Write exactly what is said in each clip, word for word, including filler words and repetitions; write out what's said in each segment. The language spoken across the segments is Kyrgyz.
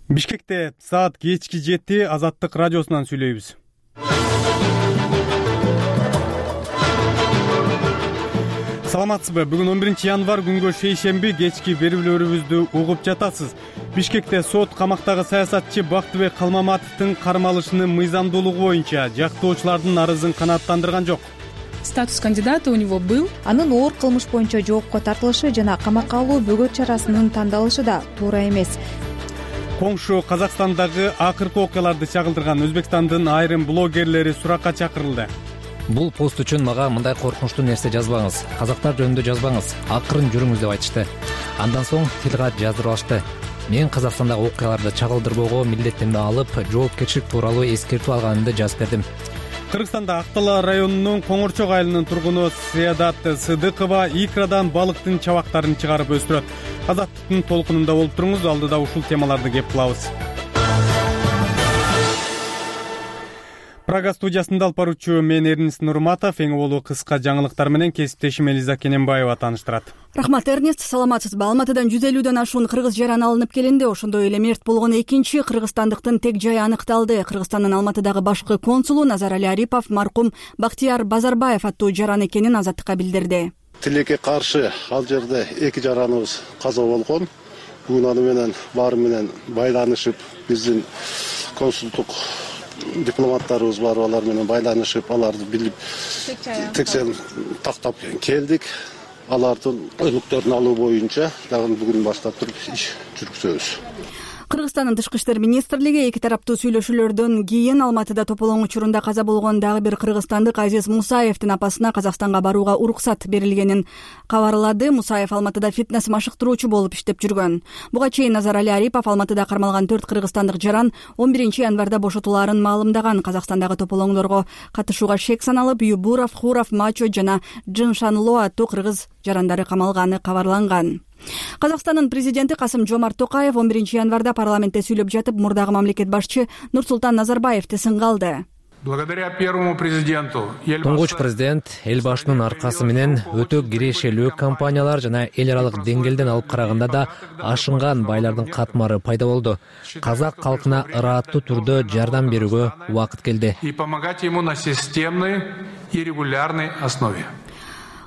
Бишкекте саат кечки жети, Азаттык радиосунан сүйлөйбүз. Саламатсызбы? Бүгүн он биринчи январь күнгө шейшемби кечки берүүлөрүбүздү угуп жатасыз. Бишкекте сот камактагы саясатчы Бактыбек Калмаматовдун кармалышынын мыйзамдуулугу боюнча жактоочулардын арызын канааттандырган жок. Статус кандидата у него был. Анын оор кылмыш боюнча жоопко тартылышы жана камакка алуу бөгөт чарасынын тандалышы да туура эмес. Коңшу Казакстандагы акыркы окуяларды чагылдырган Өзбекстандын айрым блогерлери суракка чакырылды. Бул пост үчүн мага мындай коркунучтуу нерсе жазбаңыз, казактар жөнүндө жазбаңыз, акырын жүрүңүз деп айтышты. Андан соң тилгат жаздырып алышты. Мен Казакстандагы окуяларды чагылдырбоого милдеттенме алып, жоопкерчилик тууралуу эскертүү алганымды жазып бердим. Кыргызстанда Актала районунун Коңорчок айылынын тургуну Саадат Сыдыкова икрадан балыктын чабактарын чыгарып өстүрөт. Азаттыктын толкунунда болуп туруңуз, алдыда ушул темаларды кеп кылабыз. Прага студиясында алып баруучу мен Эрнест Нурматов, эң болуу кыска жаңылыктар менен кесиптешим Элиза Кененбаева тааныштырат. Рахмат, Эрнест, саламатсызбы? Алматыдан жүз элүүдөн ашуун кыргыз жаран алынып келинди. Ошондой эле мерт болгон экинчи кыргызстандыктын тег жайы аныкталды. Кыргызстандын Алматыдагы башкы консулу Назарали Арипов маркум Бактияр Базарбаев аттуу жаран экенин Азаттыкка билдирди. Тилекке каршы ал жерде эки жараныбыз каза болгон. Бүгүн аны менен баары менен байланышып, биздин консулдук дипломаттарыбыз бар, алар менен байланышып, аларды билип текшерүү тактап келдик. Алардын өлүктөрүн алуу боюнча дагы бүгүн баштап туруп иш жүргүзөбүз. Кыргызстандын Тышкы иштер министрлиги эки тараптуу сүйлөшүүлөрдөн кийин Алматыда тополоң учурунда каза болгон дагы бир кыргызстандык Азиз Мусаевдин апасына Казакстанга барууга уруксат берилгенин кабарлады. Мусаев Алматыда фитнес машыктыруучу болуп иштеп жүргөн. Буга чейин Назарали Арипов Алматыда кармалган төрт кыргызстандык жаран он биринчи январда бошотулаарын маалымдаган. Казакстандагы тополоңдорго катышууга шек саналып, Юбуров, Хуров, Мачо жана Джиншанло аттуу кыргыз жарандары камалганы кабарланган. Казакстандын президенти Касым-Жомарт Токаев он биринчи январда парламентте сүйлөп жатып, мурдагы мамлекет башчы Нурсултан Назарбаевди сынга алды. Благодаря первому президенту Туңгуч президент эл башынын аркасы менен өтө кирешелүү компаниялар жана эл аралык деңгээлден алып караганда да ашынган байлардын катмары пайда болду. Казак калкына ырааттуу түрдө жардам берүүгө убакыт келди. И помогать ему на системной и регулярной основе.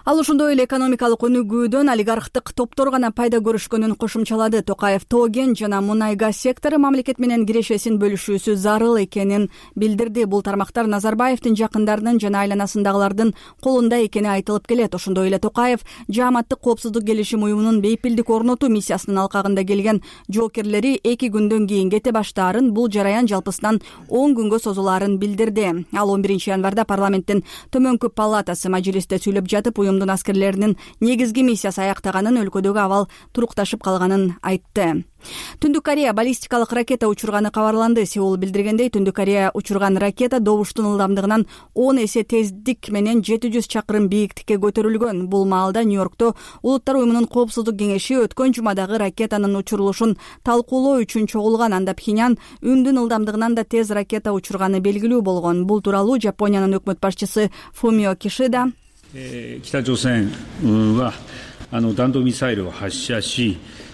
Ал ошондой эле экономикалык өнүгүүдөн олигархтык топтор гана пайда көрүшкөнүн кошумчалады. Токаев Тоген жана мунай газ сектору мамлекет менен кирешесин бөлүшүүсү зарыл экенин билдирди. Бул тармактар Назарбаевдин жакындарынын жана айланасындагылардын колунда экени айтылып келет. Ошондой эле Токаев Жааматтык коопсуздук келишим уюмунун бейпилдик орнотуу миссиясынын алкагында келген жоокерлери эки күндөн кийин кете баштаарын, бул жараян жалпысынан он күнгө созулаарын билдирди. Ал он биринчи январда парламенттин төмөнкү палатасы мажлисте сүйлөп жатып, уюмдун аскерлеринин негизги миссиясы аяктаганын, өлкөдөгү абал турукташып калганын айтты. Түндүк Корея баллистикалык ракета учурганы кабарланды. Сеул билдиргендей, Түндүк Корея учурган ракета добуштун ылдамдыгынан он эсе тездик менен жети жүз чакырым бийиктикке көтөрүлгөн. Бул маалда Нью-Йоркто Улуттар уюмунун коопсуздук кеңеши өткөн жумадагы ракетанын учурулушун талкуулоо үчүн чогулган. Анда Пхеньян үндүн ылдамдыгынан да тез ракета учурганы белгилүү болгон. Бул тууралуу Жапониянын өкмөт башчысы Фумио Кишида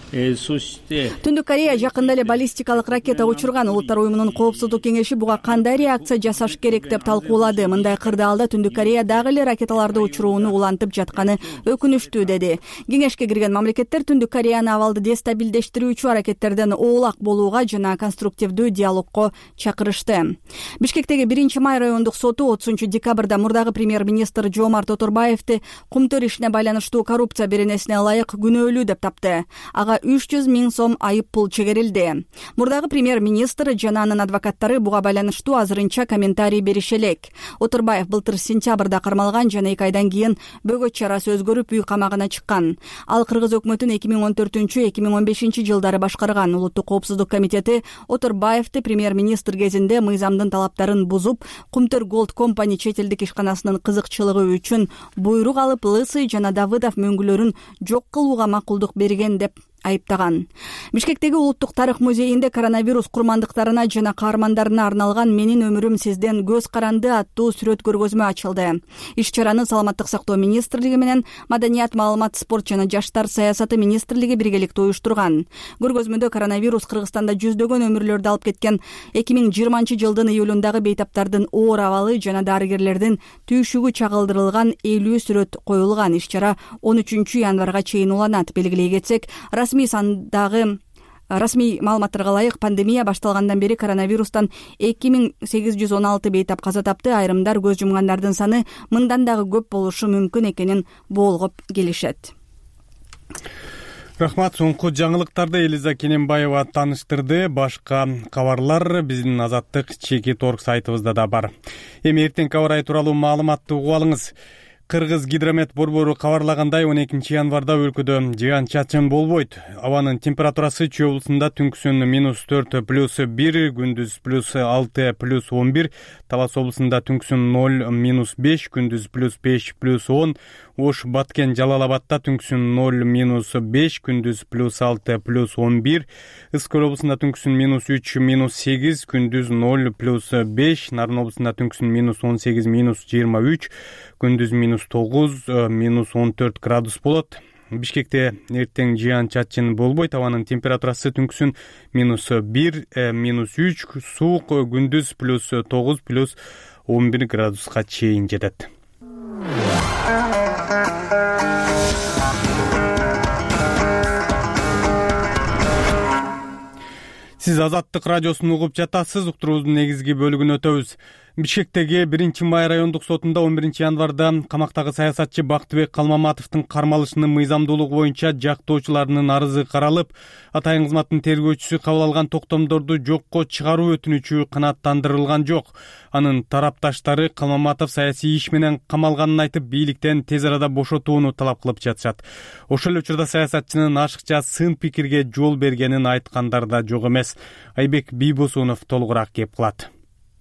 Түндүк Корея жакында эле баллистикалык ракета учурган. Улуттар уюмунун коопсуздук кеңеши буга кандай реакция жасаш керек деп талкуулады. Мындай кырдаалда Түндүк Корея дагы эле ракеталарды учурууну улантып жатканы өкүнүчтүү, деди. Кеңешке кирген мамлекеттер Түндүк Кореяны абалды дестабилдештирүүчү аракеттерден оолак болууга жана конструктивдүү диалогко чакырышты. Бишкектеги биринчи май райондук соту отузунчу декабрда мурдагы премьер-министр Жомарт Оторбаевди кумтөр ишине байланыштуу коррупция беренесине ылайык күнөөлүү деп тапты. Ага үч жүз миң сом айып пул чегерилди. Мурдагы премьер-министр жана анын адвокаттары буга байланыштуу азырынча комментарий берише элек. Оторбаев былтыр сентябрда кармалган жана эки айдан кийин бөгөт чарасы өзгөрүп үй камагына чыккан. Ал кыргыз өкмөтүн эки миң он төртүнчү эки миң он бешинчи жылдары башкарган. Улуттук коопсуздук комитети Оторбаевди премьер-министр кезинде мыйзамдын талаптарын бузуп, Кумтөр Голд компани чет элдик ишканасынын кызыкчылыгы үчүн буйрук алып, Лысый жана Давыдов мөңгүлөрүн жок кылууга макулдук берген деп айыптаган. Бишкектеги Улуттук тарых музейинде коронавирус курмандыктарына жана каармандарына арналган «Менин өмүрүм сизден көз каранды» аттуу сүрөт көргөзмө ачылды. Иш-чараны Саламаттык сактоо министрлиги менен Маданият, маалымат, спорт жана жаштар саясаты министрлиги биргеликте уюштурган. Көргөзмөдө коронавирус Кыргызстанда жүздөгөн өмүрлөрдү алып кеткен эки миң жыйырманчы жылдын июлундагы бейтаптардын оор абалы жана дарыгерлердин түйшүгү чагылдырылган элүү сүрөт коюлган. Иш-чара он үчүнчү январга чейин уланат. Белгилей кетсек, расмий сандагы расмий маалыматтарга ылайык пандемия башталгандан бери коронавирустан эки миң сегиз жүз он алты бейтап каза тапты. Айрымдар көз жумгандардын саны мындан дагы көп болушу мүмкүн экенин болгоп келишет. Рахмат. Соңку жаңылыктарды Элиза Кененбаева тааныштырды. Башка кабарлар биздин Азаттык чеки торг сайтыбызда да бар. Эми эртең кабар ай тууралуу маалыматты угуп алыңыз. Кыргыз гидромет борбору кабарлагандай он экинчи январда өлкөдө жыган чачын болбойт. Абанын температурасы Чүй облусунда түнкүсүн минус төрт плюс бир, күндүз плюс алты плюс он бир, Талас облусунда түнкүсүн ноль минус беш, күндүз плюс беш плюс он, Ош, Баткен, Жалал Абадта түнкүсүн ноль минус беш, күндүз плюс алты плюс он бир, Ыскөл облусунда түнкүсүн минус үч минус сегиз, күндүз ноль плюс беш, Нарын облусунда түнкүсүн минус он сегиз минус жыйырма үч, күндүз минус тогуз минус он төрт градус болот. Бишкекте эртең жыган чачын болбойт. Абанын температурасы түнкүсүн минус бир минус үч, суук, күндүз плюс тогуз плюс он бир градуска чейин жетет. Сиз Азаттык радиосун угуп жатасыз. Уктуруубуздун негизги бөлүгүн өтөбүз. Бишкектеги биринчи май райондук сотунда он биринчи январда камактагы саясатчы Бактыбек Калмаматовдун кармалышынын мыйзамдуулугу боюнча жактоочуларынын арызы каралып, атайын кызматтын тергөөчүсү кабыл алган токтомдорду жокко чыгаруу өтүнүчү канааттандырылган жок. Анын тарапташтары Калмаматов саясий иш менен камалганын айтып, бийликтен тез арада бошотууну талап кылып жатышат. Ошол эле учурда саясатчынын ашыкча сын пикирге жол бергенин айткандар да жок эмес. Айбек Бийбосунов толугураак кеп кылат.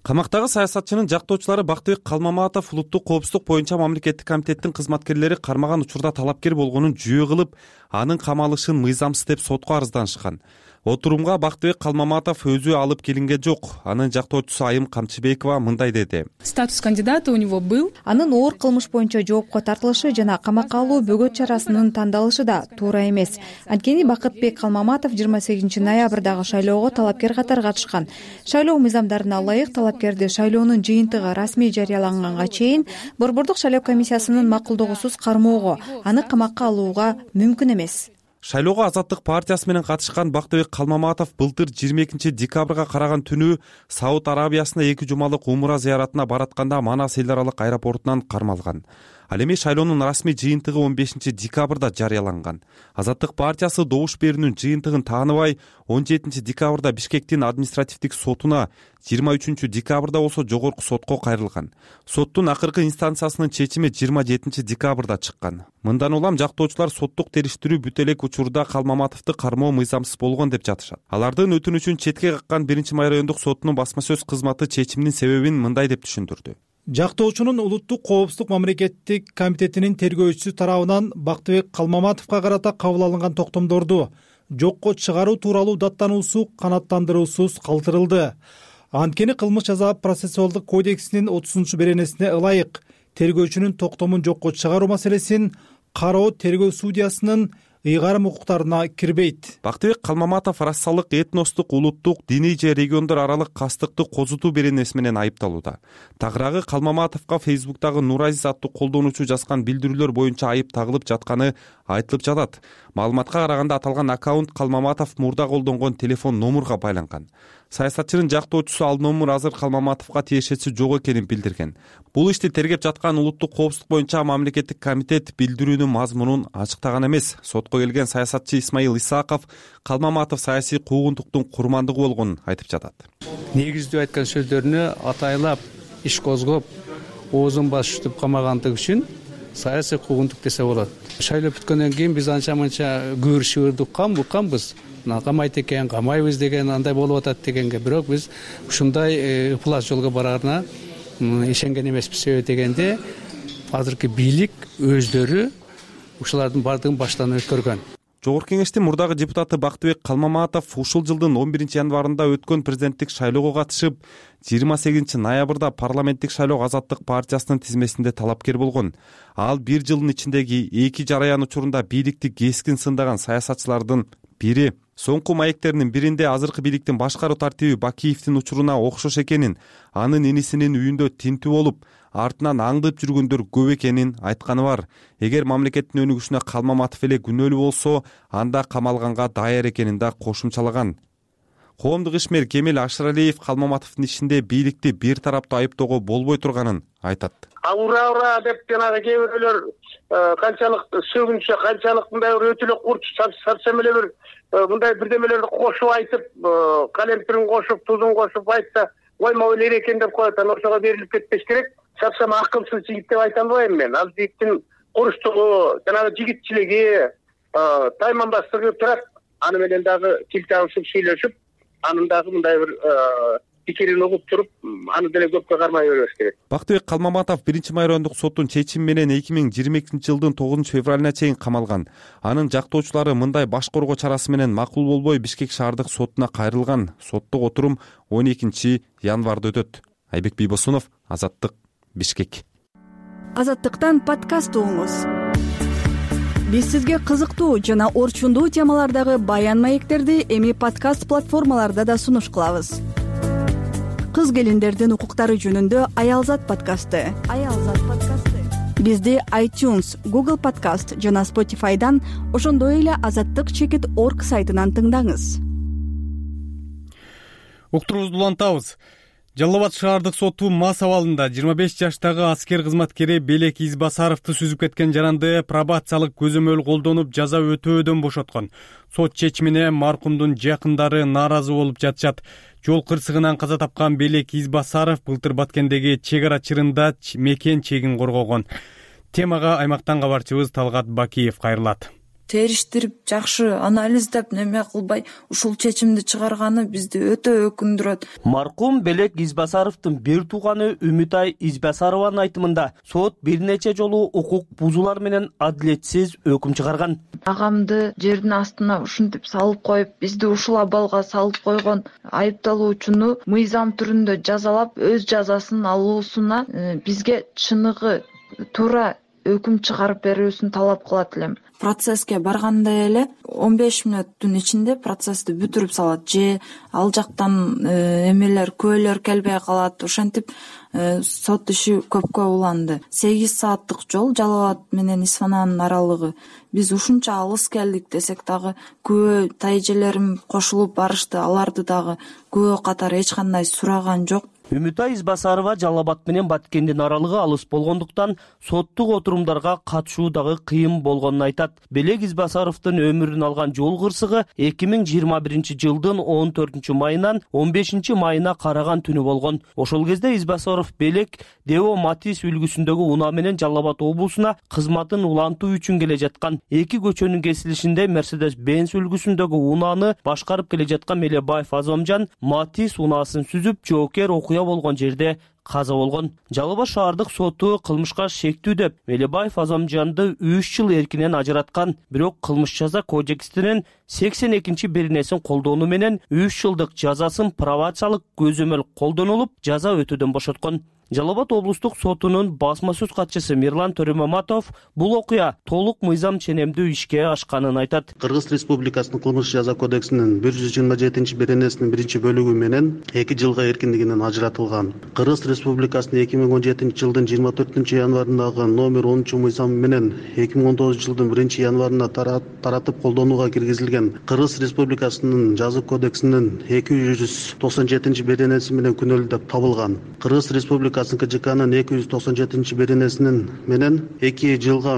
Камактагы саясатчынын жактоочулары Бактыбек Калмаматов улуттук коопсуздук боюнча мамлекеттик комитеттин кызматкерлери кармаган учурда талапкер болгонун жүйө кылып, анын камалышын мыйзамсыз деп сотко арызданышкан. Отурумга Бактыбек Калмаматов өзү алып келинген жок. Анын жактоочусу Айым Камчыбекова мындай деди. Статус кандидата у него был. Анын оор кылмыш боюнча жоопко тартылышы жана камакка алуу бөгөт чарасынын тандалышы да туура эмес. Анткени Бакытбек Калмаматов жыйырма сегизинчи ноябрдагы шайлоого талапкер катары катышкан. Шайлоо мыйзамдарына ылайык талапкерди шайлоонун жыйынтыгы расмий жарыяланганга чейин борбордук шайлоо комиссиясынын макулдугусуз кармоого, аны камакка алууга мүмкүн эмес. Шайлоого Азаттык партиясы менен катышкан Бактыбек Калмаматов былтыр жыйырма экинчи декабрга караган түнү Сауд Арабиясына эки жумалык умра зыяратына баратканда Манас эл аралык аэропортунан кармалган. Ал эми шайлоонун расмий жыйынтыгы он бешинчи декабрда жарыяланган. Азаттык партиясы добуш берүүнүн жыйынтыгын тааныбай он жетинчи декабрда Бишкектин административдик сотуна, жыйырма үчүнчү декабрда болсо жогорку сотко кайрылган. Соттун акыркы инстанциясынын чечими жыйырма жетинчи декабрда чыккан. Мындан улам жактоочулар соттук териштирүү бүт элек учурда Калмаматовду кармоо мыйзамсыз болгон деп жатышат. Алардын өтүнүчүн четке каккан биринчи май райондук сотунун басма сөз кызматы чечимдин себебин мындай деп түшүндүрдү. Жактоочунун улуттук коопсуздук мамлекеттик комитетинин тергөөчүсү тарабынан Бактыбек Калмаматовго карата кабыл алынган токтомдорду жокко чыгаруу тууралуу даттануусу канааттандыруусуз калтырылды. Анткени кылмыш жаза процессуалдык кодексинин отузунчу беренесине ылайык тергөөчүнүн токтомун жокко чыгаруу маселесин кароо тергөө судьясынын ыйгарым укуктарына кирбейт. Бактыбек Калмаматов рассалык, этностук, улуттук, диний же региондор аралык кастыкты козутуу беренеси менен айыпталууда. Тагыраагы Калмаматовго Фейсбуктагы Нуразиз аттуу колдонуучу жазган билдирүүлөр боюнча айып тагылып жатканы айтылып жатат. Маалыматка караганда аталган аккаунт Калмаматов мурда колдонгон телефон номурга байланган. Саясатчынын жактоочусу ал номур азыр Калмаматовго тиешеси жок экенин билдирген. Бул ишти тергеп жаткан улуттук коопсуздук боюнча мамлекеттик комитет билдирүүнүн мазмунун ачыктаган эмес. Сотко келген саясатчы Исмаил Исаков Калмаматов саясий куугунтуктун курмандыгы болгонун айтып жатат. Негиздүү айткан сөздөрүнө атайлап иш козгоп, оозун басып камагандыгы үчүн саясий куугунтук десе болот. Шайлоо бүткөндөн кийин биз анча-манча көрүшүп уккан укканбыз. Камайт экен, камайбыз деген андай болуп атат дегенге, бирок биз ушундай ыплас жолго барарына ишенген эмеспиз. Себеби дегенде азыркы бийлик өздөрү ушулардын бардыгын баштан өткөргөн. Жогорку Кеңештин мурдагы депутаты Бактыбек Калмаматов ушул жылдын он биринчи январында өткөн президенттик шайлоого катышып, жыйырма сегизинчи ноябрда парламенттик шайлоо Азаттык партиясынын тизмесинде талапкер болгон. Ал бир жылдын ичиндеги эки жараян учурунда бийликти кескин сындаган саясатчылардын бири. Соңку маектеринин биринде азыркы бийликтин башкаруу тартиби Бакиевдин учуруна окшош экенин, анын инисинин үйүндө тинтүү болуп, артынан аңдып жүргөндөр көп экенин айтканы бар. Эгер мамлекеттин өнүгүшүнө Калмаматов эле күнөөлүү болсо, анда камалганга даяр экенин да кошумчалаган. Коомдук ишмер Кемел Ашыралиев Калмаматовдун ишинде бийликти бир тараптуу айыптоого болбой турганын айтат. Ура ура деп жанагы кээ бирөөлөр канчалык сөгүнчө, канчалык мындай бир өтө эле курч сарсем эле бир мындай бирдемелерди кошуп айтып, калемпирин кошуп, тузун кошуп айтса, ойма ойлойт экен деп коет. Анан ошого берилип кетпеш керек. Сарсем акылсыз жигит деп айта албайм мен. Ал жигиттин курчтугу, жанагы жигитчилиги, тайманбастыгы турат. Аны менен дагы тил табышып сүйлөшүп, анын дагы мындай бир пикирин угуп туруп, аны деле көпкө кармай бербеш керек. Бактыбек Калмаматов биринчи майрондук соттун чечими менен эки миң жыйырма экинчи жылдын тогузунчу февралына чейин камалган. Анын жактоочулары мындай баш коргоо чарасы менен макул болбой Бишкек шаардык сотуна кайрылган. Соттук отурум он экинчи январда өтөт. Айбек Бийбосунов, Азаттык, Бишкек. Азаттыктан подкаст угуңуз. Биз сизге кызыктуу жана орчундуу темалардагы баян маектерди эми подкаст платформаларда да сунуш кылабыз. Кыз келиндердин укуктары жөнүндө Аялзат подкасты. Аялзат подкасты. Бизди iTunes, Google Podcast жана Spotify'дан, ошондой эле азаттык чекит точка орг сайтынан тыңдаңыз. Уктуруубузду улантабыз. Жалал Абад шаардык соту мас абалында жыйырма беш жаштагы аскер кызматкери Белек Избасаровду сүзүп кеткен жаранды пробациялык көзөмөл колдонуп жаза өтөөдөн бошоткон. Сот чечимине маркумдун жакындары нааразы болуп жатышат. Жол кырсыгынан каза тапкан Белек Избасаров былтыр Баткендеги чек ара чырында мекен чегин коргогон. Темага аймактан кабарчыбыз Талгат Бакиев кайрылат. Териштирип, жакшы анализдеп неме кылбай ушул чечимди чыгарганы бизди өтө өкүндүрөт. Маркум Белек Избасаровдун бир тууганы Үмүтай Избасарованын айтымында сот бир нече жолу укук бузуулар менен адилетсиз өкүм чыгарган. Агамды жердин астына ушинтип салып коюп, бизди ушул абалга салып койгон айыпталуучуну мыйзам түрүндө жазалап, өз жазасын алуусуна бизге чыныгы туура өкүм чыгарып берүүсүн талап кылат элем. Процесске барганда эле он беш мүнөттүн ичинде процессти бүтүрүп салат же ал жактан эмелер көөлөр келбей калат. Ошентип сот иши көпкө уланды. сегиз сааттык жол Жалал Абад менен Исфананын аралыгы. Биз ушунча алыс келдик десек дагы күбө тайжелерим кошулуп барышты. Аларды дагы күбө катары эч кандай сураган жок. Үмүтай Избасарова Жалал Абад менен Баткендин аралыгы алыс болгондуктан соттук отурумдарга катышуу дагы кыйын болгонун айтат. Белек Избасаровдун өмүрүн алган жол кырсыгы эки миң жыйырма биринчи жылдын он төртүнчү майынан он бешинчи майына караган түнү болгон. Ошол кезде Избасаров Белек Део Матис үлгүсүндөгү унаа менен Жалал Абад облусуна кызматын улантуу үчүн келе жаткан. Эки көчөнүн кесилишинде Мерседес Бенз үлгүсүндөгү унааны башкарып келе жаткан Мелебаев Азамжан Матис унаасын сүзүп, жоокер окуя болгон жерде каза болгон. Жалал Абад шаардык соту кылмышка шектүү деп Мелебаев Азамжанды үч жыл эркинен ажыраткан. Бирок кылмыш жаза кодексинин сексен экинчи беренесин колдонуу менен үч жылдык жазасын пробациялык көзөмөл колдонулуп, жаза өтөөдөн бошоткон. Жалал Абад облустук сотунун басма сөз катчысы Мирлан Төрөмаматов бул окуя толук мыйзам ченемдүү ишке ашканын айтат. Кыргыз Республикасынын кылмыш жаза кодексинин бир жүз жыйырма жетинчи беренесинин биринчи бөлүгү менен эки жылга эркиндигинен ажыратылган. Кыргыз Республикасынын эки миң он жетинчи жылдын жыйырма төртүнчү январындагы номер онунчу мыйзамы менен эки миң он тогузунчу жылдын биринчи январында таратып колдонууга киргизилген Кыргыз Республикасынын жаза кодексинин эки жүз токсон жетинчи беренеси менен күнөөлүү деп табылган. Кыргыз Республикасынын К Ж Кнын эки жүз токсон жетинчи беренесинин менен эки жылга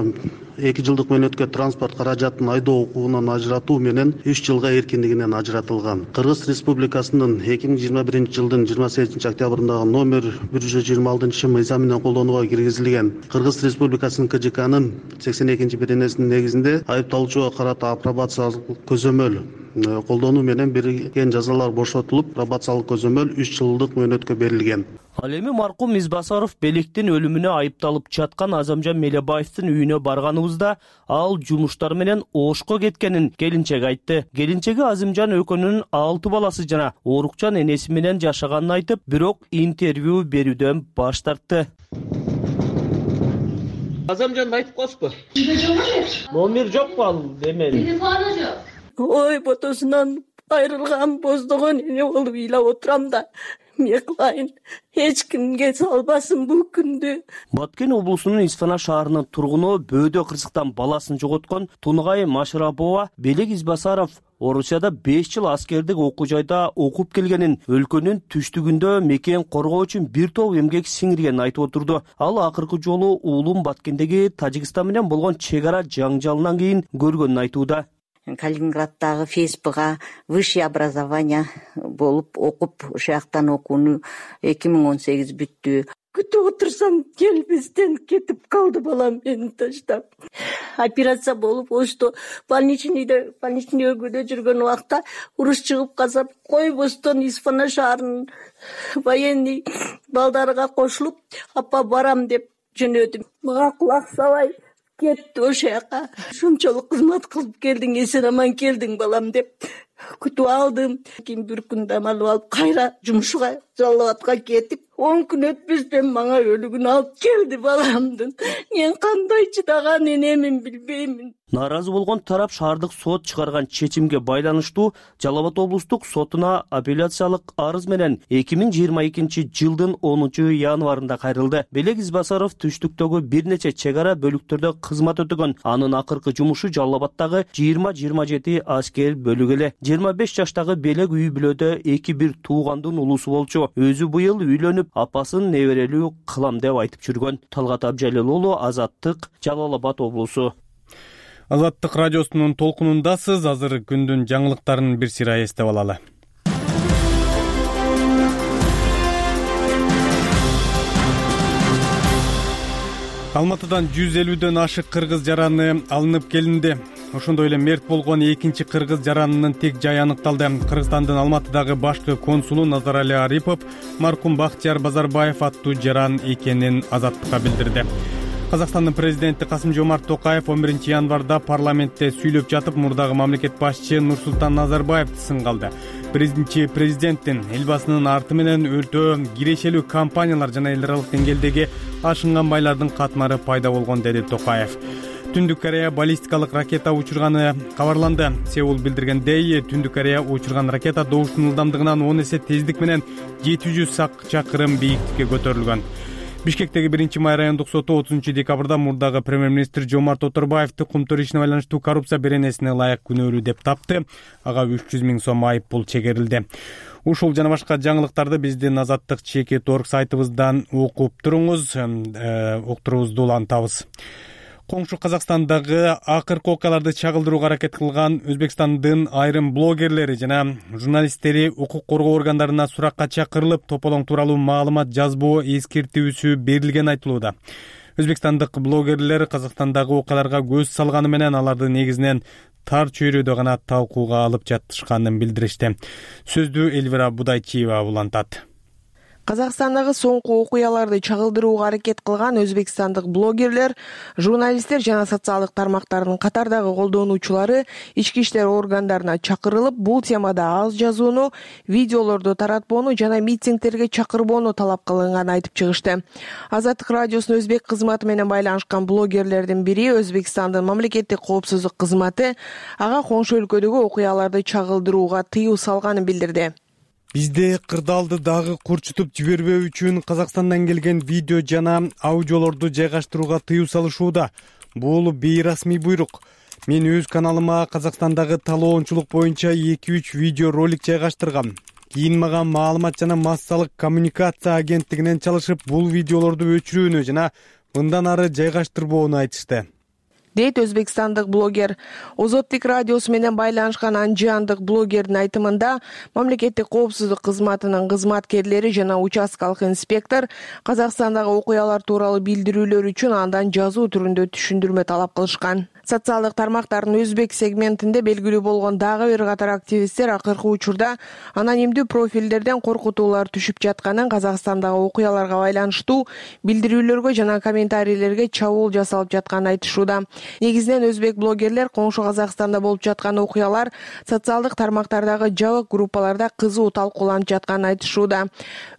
эки жылдык мөөнөткө транспорт каражатын айдоо укугунан ажыратуу менен үч жылга эркиндигинен ажыратылган. Кыргыз Республикасынын эки миң жыйырма биринчи жылдын жыйырма сегизинчи октябрындагы номер бир жүз жыйырма алтынчы мыйзам менен колдонууга киргизилген Кыргыз Республикасынын К Ж Кнын сексен экинчи беренесинин негизинде айыпталуучуга карата апробациялык көзөмөл колдонуу менен берилген жазалар бошотулуп, пробациялык көзөмөл үч жылдык мөөнөткө берилген. Ал эми маркум Мизбасаров Белектин өлүмүнө айыпталып жаткан Азамжан Мелебаевдин үйүнө барганыбызда ал жумуштар менен Ошко кеткенин келинчеги айтты. Келинчеги Азымжан экөөнүн алты баласы жана Орукчан энеси менен жашаганын айтып, бирок интервью берүүдөн баш тартты. Азамжанды айтып коесузбу? Номер жокпу ал эмени? Телефону жок. Ой, ботосунан айрылган боздогон эне болуп ыйлап отурам да. Эмне кылайын? Эч кимге салбасын бул күндү. Баткен облусунун Исфана шаарынын тургуну бөөдө кырсыктан баласын жоготкон Тунугай Машрапова Белек Избасаров Орусияда беш жыл аскердик окуу жайда окуп келгенин, өлкөнүн түштүгүндө мекен коргоо үчүн бир топ эмгек сиңиргенин айтып отурду. Ал акыркы жолу уулум Баткендеги Тажикстан менен болгон чек ара жаңжалынан кийин көргөнүн айтууда. Калининграддагы ФСБга высшее образование болуп окуп, ошол жактан окууну эки миң он сегиз бүттү. Күтүп отурсам келбестен кетип калды балам мени таштап. Операция болуп, ошто больничныйда, больничный өгүдө жүргөн убакта уруш чыгып калса, койбостон Исфана шаарынын военный балдарыга кошулуп, апа барам деп жөнөдүм. Мага кулак сабай кетти ошол жака. Ушунчалык кызмат кылып келдиң, эсен аман келдиң балам деп күтүп алдым. Кийин бир күн дам алып алып кайра жумушка, Жалал Абадка кетип, он күн өтпөстөн мага өлүгүн алып келди баламдын. Мен кандай чыдаган энемин билбеймин. Нааразы болгон тарап шаардык сот чыгарган чечимге байланыштуу Жалал Абад облустук сотуна апелляциялык арыз менен эки миң жыйырма экинчи жылдын онунчу январында кайрылды. Белек Избасаров түштүктөгү бир нече чек ара бөлүктөрдө кызмат өтөгөн. Анын акыркы жумушу Жалал Абадтагы жыйырма жыйырма жети аскер бөлүгү эле. жыйырма беш жаштагы Белек үй бүлөдө эки бир туугандын улусу болчу. Өзү быйыл үйлөнүп, апасын неберелүү кылам деп айтып жүргөн. Талгат Абжалил уулу, Азаттык, Жалал Абад облусу. Азаттык радиосунун толкунундасыз. Азыр күндүн жаңылыктарын бир сыйра эстеп алалы. Алматыдан жүз элүүдөн ашык кыргыз жараны алынып келинди. Ошондой эле мерт болгон экинчи кыргыз жаранынын тек жайы аныкталды. Кыргызстандын Алматыдагы башкы консулу Назарали Арипов маркум Бактияр Базарбаев аттуу жаран экенин Азаттыкка билдирди. Казакстандын президенти Касым-Жомарт Токаев он биринчи январда парламентте сүйлөп жатып, мурдагы мамлекет башчысы Нурсултан Назарбаевди сынга алды. Биринчи президенттин элбасынын арты менен өтө кирешелүү компаниялар жана эл аралык деңгээлдеги ашынган байлардын катмары пайда болгон, деди Токаев. Түндүк Корея баллистикалык ракета учурганы кабарланды. Сеул билдиргендей, Түндүк Корея учурган ракета добуштун ылдамдыгынан он эсе тездик менен жети жүз чакырым бийиктикке көтөрүлгөн. Бишкектеги биринчи май райондук соту отузунчу декабрда мурдагы премьер-министр Жомарт Оторбаевди кумтөр ишине байланыштуу коррупция беренесине ылайык күнөөлүү деп тапты. Ага үч жүз миң сом айып пул чегерилди. Ушул жана башка жаңылыктарды биздин Азаттык чекит точка орг сайтыбыздан окуп туруңуз, уктуруубузду улантабыз. Коңшу Казакстандагы акыркы окуяларды чагылдырууга аракет кылган Өзбекстандын айрым блогерлери жана журналисттери укук коргоо органдарына суракка чакырылып, тополоң тууралуу маалымат жазбоо эскертүүсү берилгени айтылууда. Өзбекстандык блогерлер Казакстандагы окуяларга көз салганы менен аларды негизинен тар чөйрөдө гана талкууга алып жатышканын билдиришти. Сөздү Эльвира Будайчиева улантат. Казакстандагы соңку окуяларды чагылдырууга аракет кылган өзбекстандык блогерлер, журналисттер жана социалдык тармактардын катардагы колдонуучулары ички иштер органдарына чакырылып, бул темада аз жазууну, видеолорду таратпоону жана митингтерге чакырбоону талап кылынганын айтып чыгышты. Азаттык радиосунун өзбек кызматы менен байланышкан блогерлердин бири Өзбекстандын мамлекеттик коопсуздук кызматы ага коңшу өлкөдөгү окуяларды чагылдырууга тыюу салганын билдирди. Бизде кырдаалды дагы курчутуп жибербөө үчүн Казакстандан келген видео жана аудиолорду жайгаштырууга тыюу салышууда. Бул бейрасмий буйрук. Мен өз каналыма Казакстандагы талоончулук боюнча эки үч видео ролик жайгаштыргам. Кийин мага маалымат жана массалык коммуникация агенттигинен чалышып, бул видеолорду өчүрүүнү жана мындан ары жайгаштырбоону айтышты. дейт өзбекстандык блогер. Озоттук радиосу менен байланышкан анжандык блогердин айтымында, мамлекеттик коопсуздук кызматынын кызматкерлери жана участкалык инспектор Казакстандагы окуялар тууралуу билдирүүлөр үчүн андан жазуу түрүндө түшүндүрмө талап кылышкан. Социалдык тармактардын өзбек сегментинде белгилүү болгон дагы бир катар активисттер акыркы учурда анонимдүү профилдерден коркутуулар түшүп жатканын, Казакстандагы окуяларга байланыштуу билдирүүлөргө жана комментарийлерге чабуул жасалып жатканын айтышууда. Негизинен өзбек блогерлер коңшу Казакстанда болуп жаткан окуялар социалдык тармактардагы жабык группаларда кызуу талкууланып жатканын айтышууда.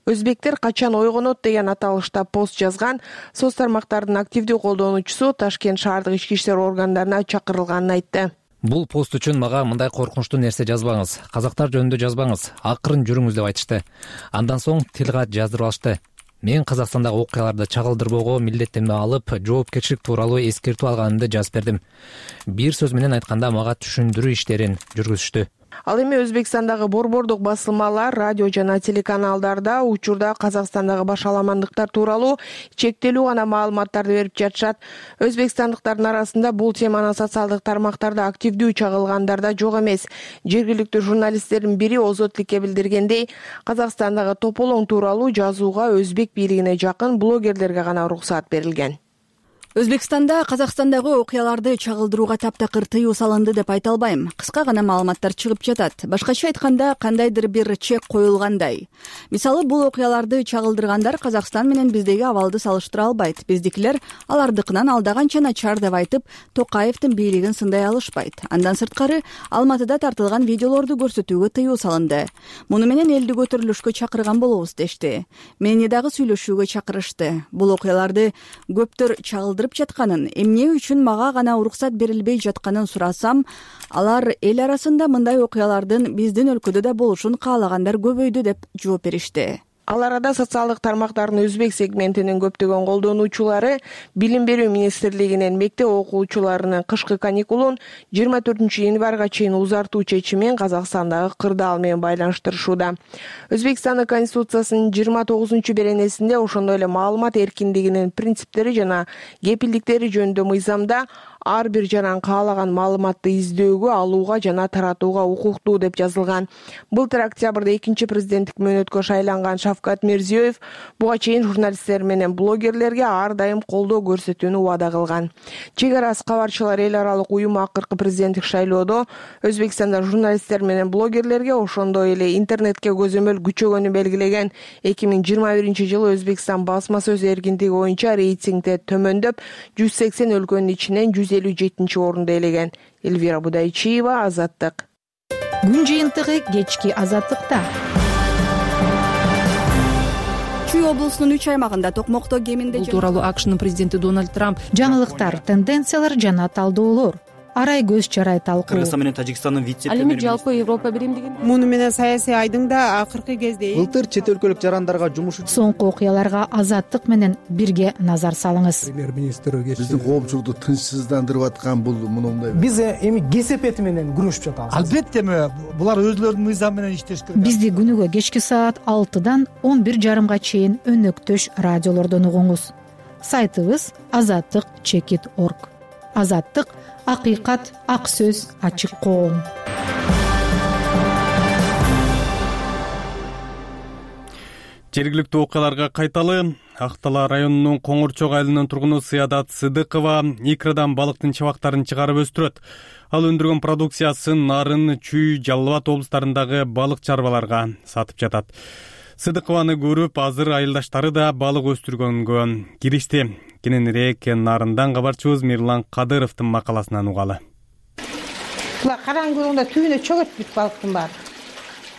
Өзбектер качан ойгонот деген аталышта пост жазган. Соц тармактардын активдүү колдонуучусу Ташкент шаардык ички иштер органдарына чакырылганын айтты. Бул пост үчүн мага мындай коркунучтуу нерсе жазбаңыз, казактар жөнүндө жазбаңыз, акырын жүрүңүз деп айтышты. Андан соң тилгат жаздырып алышты. Мен Казакстандагы окуяларды чагылдырбоого милдеттенме алып, жоопкерчилик тууралуу эскертүү алганымды жазып бердим. Бир сөз менен айтканда мага түшүндүрүү иштерин жүргүзүштү. Ал эми Өзбекстандагы борбордук басылмалар, радио жана телеканалдарда учурда Казакстандагы башаламандыктар тууралуу чектелүү гана маалыматтарды берип жатышат. Өзбекстандыктардын арасында бул теманы социалдык тармактарда активдүү чагылгандар да жок эмес. Жергиликтүү журналисттердин бири Озоттукке билдиргендей, Казакстандагы тополоң тууралуу жазууга өзбек бийлигине жакын блогерлерге гана уруксат берилген. Өзбекстанда Казакстандагы окуяларды чагылдырууга таптакыр тыюу салынды деп айта албайм. Кыска гана маалыматтар чыгып жатат. Башкача айтканда, кандайдыр бир чек коюлгандай. Мисалы, бул окуяларды чагылдыргандар Казакстан менен биздеги абалды салыштыра албайт. Биздикилер алардыкынан алда канча начар деп айтып, Токаевдин бийлигин сындай алышпайт. Андан сырткары, Алматыда тартылган видеолорду көрсөтүүгө тыюу салынды. Муну менен элди көтөрүлүшкө чакырган болобуз дешти. Мени дагы сүйлөшүүгө чакырышты. Бул окуяларды көптөр чагылдырып жатканын, эмне үчүн мага гана уруксат берилбей жатканын сурасам, алар эл арасында мындай окуялардын биздин өлкөдө да болушун каалагандар көбөйдү деп жооп беришти. Ал арада социалдык тармактардын өзбек сегментинин көптөгөн колдонуучулары Билим берүү министрлигинин мектеп окуучуларынын кышкы каникулун жыйырма төртүнчү январга чейин узартуу чечимин Казакстандагы кырдаал менен байланыштырышууда. Өзбекстандын конституциясынын жыйырма тогузунчу беренесинде ошондой эле маалымат эркиндигинин принциптери жана кепилдиктери жөнүндө мыйзамда ар бир жаран каалаган маалыматты издөөгө, алууга жана таратууга укуктуу деп жазылган. Былтыр октябрда экинчи президенттик мөөнөткө шайланган Шавкат Мирзиёев буга чейин журналисттер менен блогерлерге ар дайым колдоо көрсөтүүнү убада кылган. Чек арасы кабарчылар эл аралык уюму акыркы президенттик шайлоодо Өзбекстанда журналисттер менен блогерлерге, ошондой эле интернетке көзөмөл күчөгөнү белгилеген. эки миң жыйырма биринчи жылы Өзбекстан басма сөз эркиндиги боюнча рейтингде төмөндөп, жүз сексен өлкөнүн ичинен жүз элүү жетинчи орунду ээлеген. Элвира Будайчиева, Азаттык. Күн жыйынтыгы кечки Азаттыкта. Чүй облусунун үч аймагында токмокто кеминде бул тууралуу АКШнын президенти Дональд Трамп жаңылыктар, тенденциялар жана талдоолор арай көз чарай талкуу. Кыргызстан менен Тажикстандын вице-премьери. Ал эми жалпы Европа биримдигин. Муну менен саясий айдың да акыркы кезде былтыр чет өлкөлүк жарандарга жумуш үчүн соңку окуяларга Азаттык менен бирге назар салыңыз. Премьер-министр биздин коопчулукту тынчсыздандырып аткан бул мындай. Биз эми кесепети менен күрөшүп жатабыз. Албетте булар өзлөрүнүн мыйзамы менен иштеш керек. Бизди күнүгө кечки саат алтыдан он бир жарымга чейин өнөктөш радиолордон угуңуз. Сайтыбыз азаттык чекит точка орг. Азаттык — акыйкат, ак сөз, ачык коом. Жергиликтүү окуяларга кайталы. Ак Дала районунун Коңурчок айылынын тургуну Сыядат Сыдыкова икрадан балыктын чабактарын чыгарып өстүрөт. Ал өндүргөн продукциясын Нарын, Чүй, Жалал Абад облустарындагы балык чарбаларга сатып жатат. Сыдыкованы көрүп, азыр айылдаштары да балык өстүргөнгө киришти. Кененирээк Нарындан кабарчыбыз Мирлан Кадыровдун макаласынан угалы. Була караңгылыгында түбүнө чөгөт бүт балыктын баары.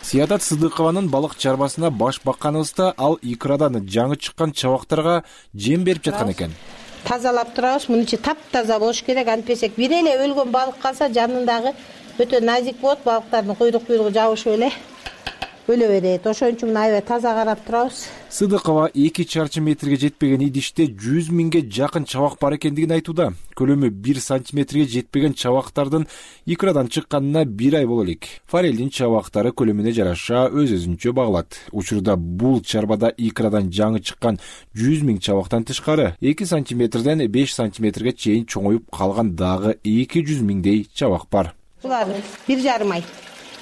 Сыядат Сыдыкованын балык чарбасына баш бакканыбызда ал икрадан жаңы чыккан чабактарга жем берип жаткан экен. Тазалап турабыз, мунун ичи таптаза болуш керек, антпесек бир эле өлгөн балык калса жанындагы өтө назик болот, балыктардын куйрук куйругу жабышып эле өлө берет. Ошон үчүн аябай таза карап турабыз. Сыдыкова эки чарчы метрге жетпеген идиште жүз миңге жакын чабак бар экендигин айтууда. Көлөмү бир сантиметрге жетпеген чабактардын икрадан чыкканына бир ай боло элек. Форелдин чабактары көлөмүнө жараша өз-өзүнчө багылат. Учурда бул чарбада икрадан жаңы чыккан жүз миң чабактан тышкары эки сантиметрден беш сантиметрге чейин чоңоюп калган дагы эки жүз миңдей чабак бар. Булар бир жарым ай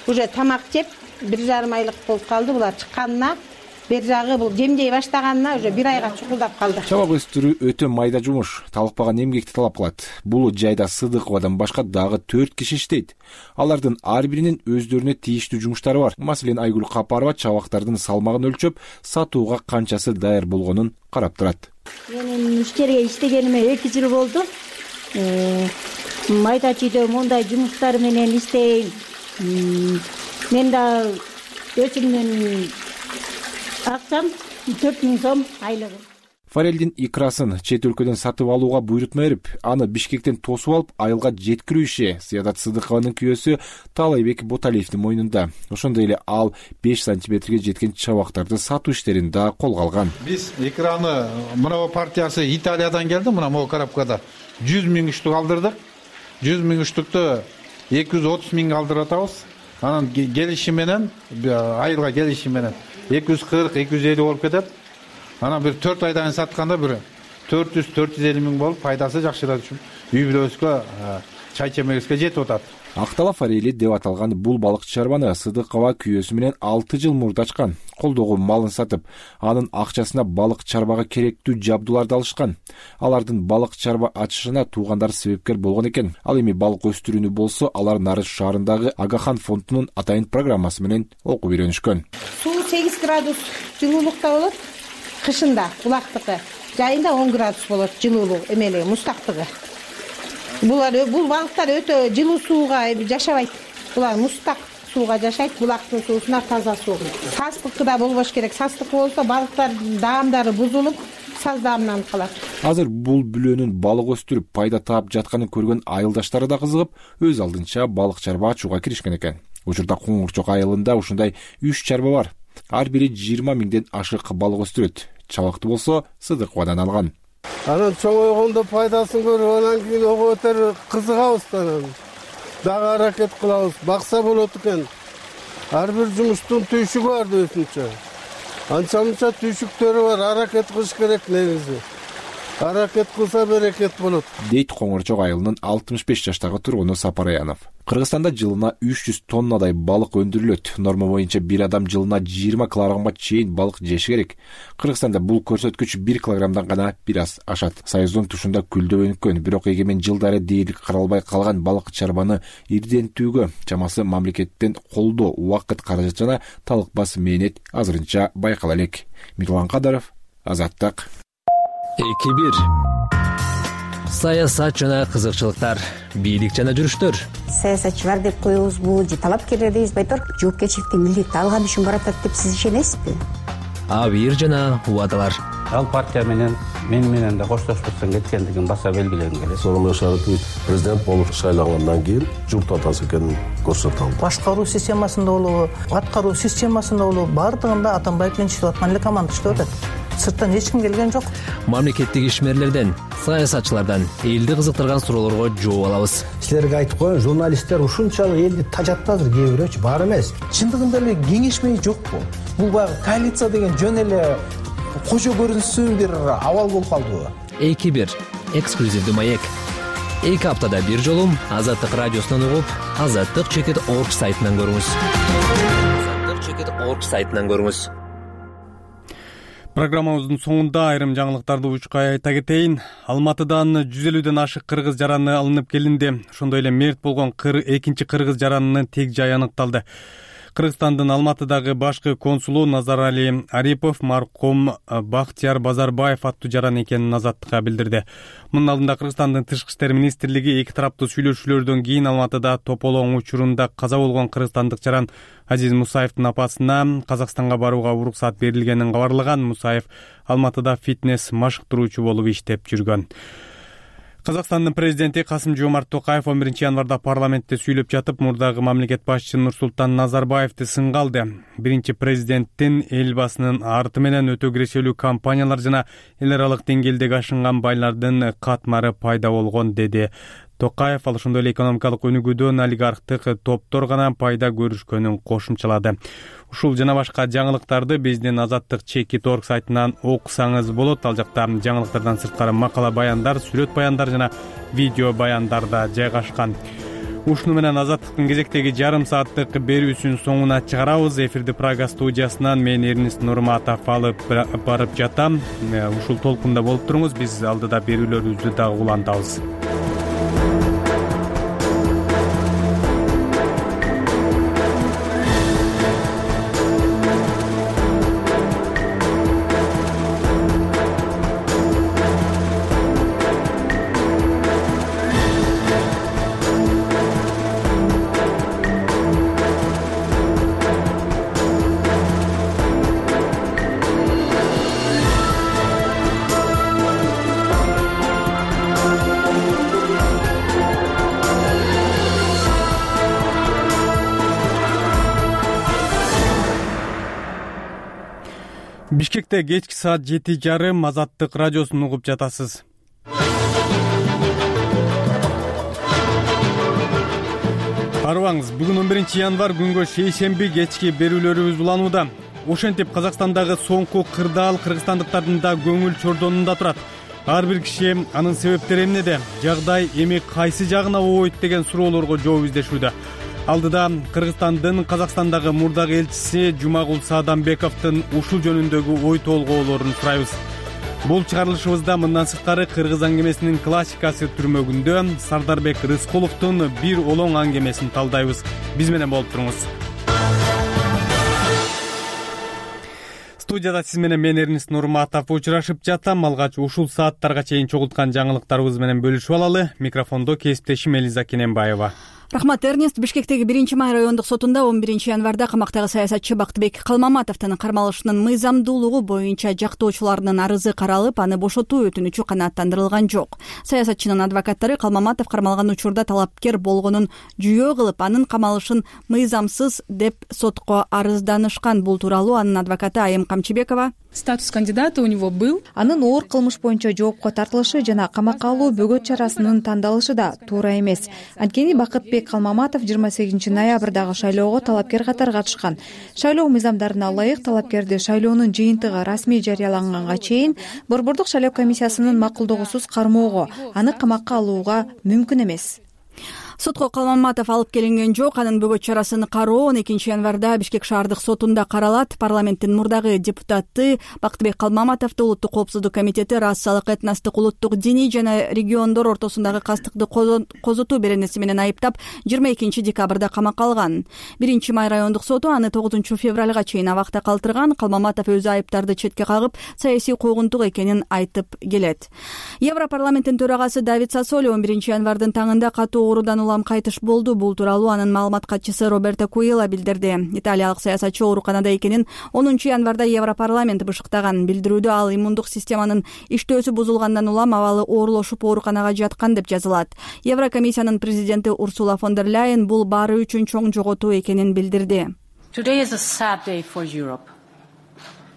уже тамак жеп бир жарым айлык болуп калды. Булар чыкканына бер жагы бул жемдей баштаганына уже бир айга чукулдап калды. Чабак өстүрүү өтө майда жумуш, талыкпаган эмгекти талап кылат. Бул жайда Сыдыковадан башка дагы төрт киши иштейт. Алардын ар биринин өздөрүнө тийиштүү жумуштары бар. Маселен, Айгүл Капарова чабактардын салмагын өлчөп, сатууга канчасы даяр болгонун карап турат. Менин иштерге иштегениме эки жыл болду. Майда чүйдө мондай жумуштар менен иштейм. Мен да өзүмдүн акчам төрт миң сом айлыгы. Форелдин икрасын чет өлкөдөн сатып алууга буйрутма берип, аны Бишкектен тосуп алып, айылга жеткирүү иши Саядат Сыдыкованын күйөөсү Таалайбек Боталиевдин мойнунда. Ошондой эле ал беш сантиметрге жеткен чабактарды сатуу иштерин да колго алган. Биз икраны мына партиясы Италиядан келди, мына могу коробкада жүз миң штук алдырдык. жүз миң штукту эки жүз отуз миңге алдырып атабыз. Анан келиши менен, айылга келиши менен эки жүз кырк эки жүз элүү болуп кетет. Анан бир төрт айдан сатканда бир төрт жүз төрт жүз элүү миң болуп, пайдасы жакшырат үчүн үй бүлөбүзгө чай чемегибизге жетип атат. Актала форели деп аталган бул балык чарбаны Сыдыкова күйөөсү менен алты жыл мурда ачкан. Колдогу малын сатып, анын акчасына балык чарбага керектүү жабдууларды алышкан. Алардын балык чарба ачышына туугандары себепкер болгон экен. Ал эми балык өстүрүүнү болсо, алар Нарыс шаарындагы Агахан фондунун атайын программасы менен окуп үйрөнүшкөн. Суу сегиз градус жылуулукта болот. Кышында булактыкы, жайында он градус болот жылуулук, эмели мустактыгы. Булар бул балыктар өтө жылуу сууга жашабайт. Булар мустак сууга жашайт, булактын суусуна таза суу. Састыкы да болбош керек. Састык болсо балыктар даамдары бузулуп, саз даамынан калат. Азыр бул бүлөнүн балык өстүрүп пайда таап жатканын көргөн айылдаштары да кызыгып, өз алдынча балык чарба ачууга киришкен экен. Учурда Коңурчок айылында ушундай үч чарба бар. Ар бири жыйырма миңден ашык балык өстүрөт. Чабакты болсо Сыдыковадан алган. Анан чоңойгондо пайдасын көрүп, анан кийин ого бетер кызыгабыз анан. Дагы аракет кылабыз, бакса болот экен. Ар бир жумуштун түйшүгү бар өзүнчө. Анча-мынча түйшүктөрү бар, аракет кылыш керек негизи. Аракет кылса берекет болот. Дейт Коңурчок айылынын алтымыш беш жаштагы тургуну Сапар Аянов. Кыргызстанда жылына үч жүз тоннадай балык өндүрүлөт. Норма боюнча бир адам жылына жыйырма килограммга чейин балык жеши керек. Кыргызстанда бул көрсөткүч бир килограммдан гана бир аз ашат. Союздун тушунда күлдөп өнүккөн, бирок эгемен жылдары дээрлик каралбай калган балык чарбаны ирдентүүгө чамасы мамлекеттен колдоо, убакыт, каражат жана талыкпас мээнет азырынча байкала элек. Мирлан Кадаров, Азаттык. эки бир саясат жана кызыкчылыктар, бийлик жана жүрүштөр. Саясатчылар деп коебузбу же талапкерлер дейбиз, байтор жоопкерчиликти милдетти алган үчүн баратат деп сиз ишенесизби? Абийир жана убадалар. Ал партия менен мен менен да коштошпостон кеткендигин баса белгилегим келет. Сооронбай Шарипович президент болуп шайлангандан кийин журт атасы экенин көрсөтө алды. Башкаруу системасында болобу, аткаруу системасында болобу, бардыгында Атамбаев менен иштеп аткан эле команда иштеп атат. Сырттан эч ким келген жок. Мамлекеттик ишмерлерден, саясатчылардан элди кызыктырган суроолорго жооп алабыз. Силерге айтып коеюн, журналисттер ушунчалык элди тажатты азыр, кээ бирөөчү бар эмес. Чындыгында эле кеңешмей жокпу? Бул баягы коалиция деген жөн эле кожо көрүнсүн бир абал болуп калдыбы? эки бир эксклюзивдүү маек. эки аптада бир жолу Азаттык радиосунан угуп, азаттык чекит орг сайтынан көрүңүз. азаттык чекит орг сайтынан көрүңүз. Программабыздын соңунда айрым жаңылыктарды учкай айта кетейин. Алматыдан жүз элүүдөн ашык кыргыз жараны алынып келинди. Ошондой эле мерт болгон экинчи кыргыз жаранынын тег жайы аныкталды. Кыргызстандын Алматыдагы башкы консулу Назарали Арипов маркум Бактияр Базарбаев аттуу жаран экенин Азаттыкка билдирди. Мунун алдында Кыргызстандын Тышкы иштер министрлиги эки тараптуу сүйлөшүүлөрдөн кийин Алматыда тополоң учурунда каза болгон кыргызстандык жаран Азиз Мусаевдин апасына Казакстанга барууга уруксат берилгенин кабарлаган. Мусаев Алматыда фитнес машыктыруучу болуп иштеп жүргөн. Казакстандын президенти Касым-Жомарт Токаев он биринчи январда парламентте сүйлөп жатып, мурдагы мамлекет башчысы Нурсултан Назарбаевди сынга алды. Биринчи президенттин элбасынын арты менен өтө кирешелүү компаниялар жана эл аралык деңгээлдеги ашынган байлардын катмары пайда болгон, деди Токаев. Ал ошондой эле экономикалык өнүгүүдөн олигархтык топтор гана пайда көрүшкөнүн кошумчалады. Ушул жана башка жаңылыктарды биздин азаттык чекит орг сайтынан окусаңыз болот. Ал жакта жаңылыктардан сырткары макала баяндар, сүрөт баяндар жана видео баяндар да жайгашкан. Ушуну менен азаттыктын кезектеги жарым сааттык берүүсүн соңуна чыгарабыз. Эфирди Прага студиясынан мен Эрнист Нурматов алып барып жатам. Ушул толкунда болуп туруңуз. Биз алдыда берүүлөрүбүздү дагы улантабыз. Бишкекте кечки саат жети жарым Азаттык радиосун угуп жатасыз. Арыбаңыз, бүгүн он биринчи январ күнгө шейшемби кечки берүүлөрүбүз уланууда. Ошентип Казакстандагы соңку кырдаал кыргызстандыктардын да көңүл чордонунда турат. Ар бир киши анын себептери эмнеде, жагдай эми кайсы жагына ойт деген суроолорго жооп издешүүдө. Алдыда Кыргызстандын Казакстандагы мурдагы элчиси Жумагул Саадамбековдун ушул жөнүндөгү ой толгоолорун сурайбыз. Бул чыгарылышыбызда мындан сырткары кыргыз аңгемесинин классикасы түрмөгүндө Сардарбек Рыскуловдун бир олоң аңгемесин талдайбыз. Биз менен болуп туруңуз. Студияда сиз менен мен Эрнист Нурматов учурашып жатам. Алгач ушул сааттарга чейин чогулткан жаңылыктарыбыз менен бөлүшүп алалы. Микрофондо кесиптешим Элиза Кененбаева. Рахмат, Эрнист. Бишкектеги биринчи май райондук сотунда он биринчи январда камактагы саясатчы Бактыбек Калмаматовдун кармалышынын мыйзамдуулугу боюнча жактоочуларынын арызы каралып, аны бошотуу өтүнүчү канааттандырылган жок. Саясатчынын адвокаттары Калмаматов кармалган учурда талапкер болгонун жүйө кылып, анын камалышын мыйзамсыз деп сотко арызданышкан. Бул тууралуу анын адвокаты Айым Камчыбекова: статус кандидата у него был. Анын оор кылмыш боюнча жоопко тартылышы жана камакка алуу бөгөт чарасынын тандалышы да туура эмес. Анткени Бакытбек Калмаматов жыйырма сегизинчи ноябрдагы шайлоого талапкер катары катышкан. Шайлоо мыйзамдарына ылайык талапкерди шайлоонун жыйынтыгы расмий жарыяланганга чейин Борбордук шайлоо комиссиясынын макулдугусуз кармоого, аны камакка алууга мүмкүн эмес. Сотко Калмаматов алып келинген жок. Анын бөгөт чарасын кароо он экинчи январда Бишкек шаардык сотунда каралат. Парламенттин мурдагы депутаты Бактыбек Калмаматовду Улуттук коопсуздук комитети расалык, этностук, улуттук, диний жана региондор ортосундагы кастыкты козотуу беренеси менен айыптап, жыйырма экинчи декабрда камакка алган. биринчи май райондук соту аны тогузунчу февралга чейин абакта калтырган. Калмаматов өзү айыптарды четке кагып, саясий куугунтук экенин айтып келет. Европарламенттин төрагасы Давид Сассоли он биринчи январдын таңында катуу оорудан кайтыш болду. Бул тууралуу анын маалымат катчысы Роберто Куила билдирди. Италиялык саясатчы ооруканада экенин онунчу январда Европарламент бышыктаган. Билдирүүдө ал иммундук системанын иштөөсү бузулгандан улам абалы оорулошуп ооруканага жаткан деп жазылат. Еврокомиссиянын президенти Урсула фон дер Ляйен бул баары үчүн чоң жоготуу экенин билдирди.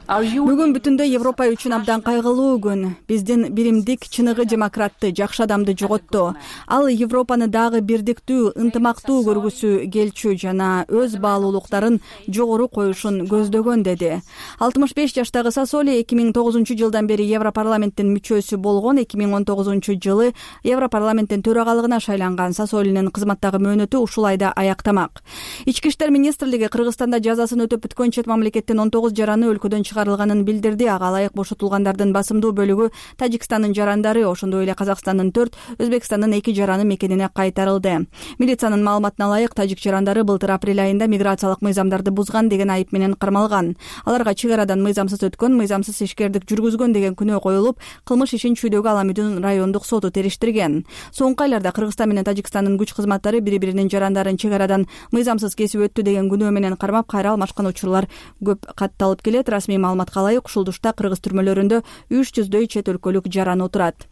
Бүгүн бүтүндөй Европа үчүн абдан кайгылуу күн. Биздин биримдик, чыныгы демократты, жакшы адамды жоготту. Ал Европаны дагы бирдиктүү, ынтымактуу көргүсү келчү жана өз баалуулуктарын жогору коюшун көздөгөн, деди. алтымыш беш жаштагы Сассоли эки миң тогузунчу жылдан бери Европарламенттин мүчөсү болгон. эки миң он тогузунчу жылы Европарламенттин төрагалыгына шайланган. Сассолинин кызматтагы мөөнөтү ушул айда аяктамак. Ички иштер министрлиги Кыргызстанда жазасын өтөп бүткөн чет мамлекеттин он тогуз жараны өлкөдөн чыгарылганын билдирди. Ага ылайык бошотулгандардын басымдуу бөлүгү Тажикстандын жарандары, ошондой эле Казакстандын төрт, Өзбекстандын эки жараны мекенине кайтарылды. Милициянын маалыматына ылайык тажик жарандары былтыр апрель айында миграциялык мыйзамдарды бузган деген айып менен кармалган. Аларга чек арадан мыйзамсыз өткөн, мыйзамсыз ишкердик жүргүзгөн деген күнөө коюлуп, кылмыш ишин Чүйдөгү Аламүдүн райондук соту териштирген. Соңку айларда Кыргызстан менен Тажикстандын күч кызматтары бири-биринин жарандарын чек арадан мыйзамсыз кесип өттү деген күнөө менен кармап, кайра алмашкан учурлар көп катталып келет. Расмий маалыматка ылайык ушул тушта кыргыз түрмөлөрүндө үч жүздөй чет өлкөлүк жараны отурат.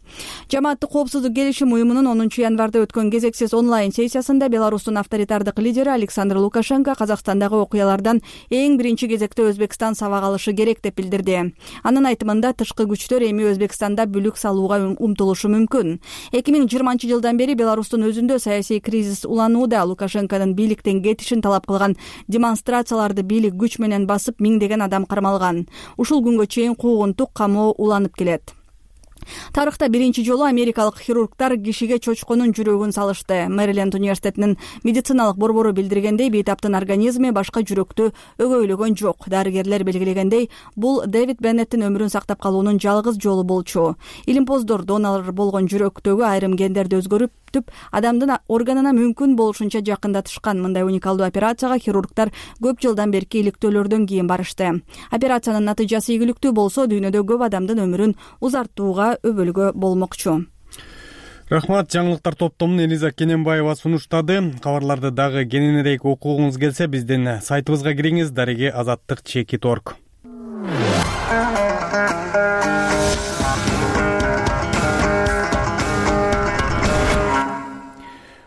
Жамааттык коопсуздук келишим уюмунун онунчу январда өткөн кезексиз онлайн сессиясында Беларустун авторитардык лидери Александр Лукашенко Казакстандагы окуялардан эң биринчи кезекте Өзбекстан сабак алышы керек деп билдирди. Анын айтымында тышкы күчтөр эми Өзбекстанда бүлүк салууга умтулушу мүмкүн. эки миң жыйырманчы жылдан бери Беларустун өзүндө саясий кризис уланууда. Лукашенконун бийликтен кетишин талап кылган демонстрацияларды бийлик күч менен басып, миңдеген адам кармалган. Ушул күнгө чейин куугунтук камоо уланып келет. Тарыхта биринчи жолу америкалык хирургдар кишиге чочконун жүрөгүн салышты. Мэриленд университетинин медициналык борбору билдиргендей, бейтаптын организми башка жүрөктү өгөйлөгөн жок. Дарыгерлер белгилегендей, бул Дэвид Беннеттин өмүрүн сактап калуунун жалгыз жолу болчу. Илимпоздор донор болгон жүрөктөгү айрым гендерди өзгөрүп адамдын органына мүмкүн болушунча жакындатышкан. Мындай уникалдуу операцияга хирургдар көп жылдан берки иликтөөлөрдөн кийин барышты. Операциянын натыйжасы ийгиликтүү болсо, дүйнөдө көп адамдын өмүрүн узартууга өбөлгө болмокчу. Рахмат. Жаңылыктар топтомун Элиза Кененбаева сунуштады. Кабарларды дагы кененирээк окугуңуз келсе, биздин сайтыбызга кириңиз, дареги азаттык чекит точка орг.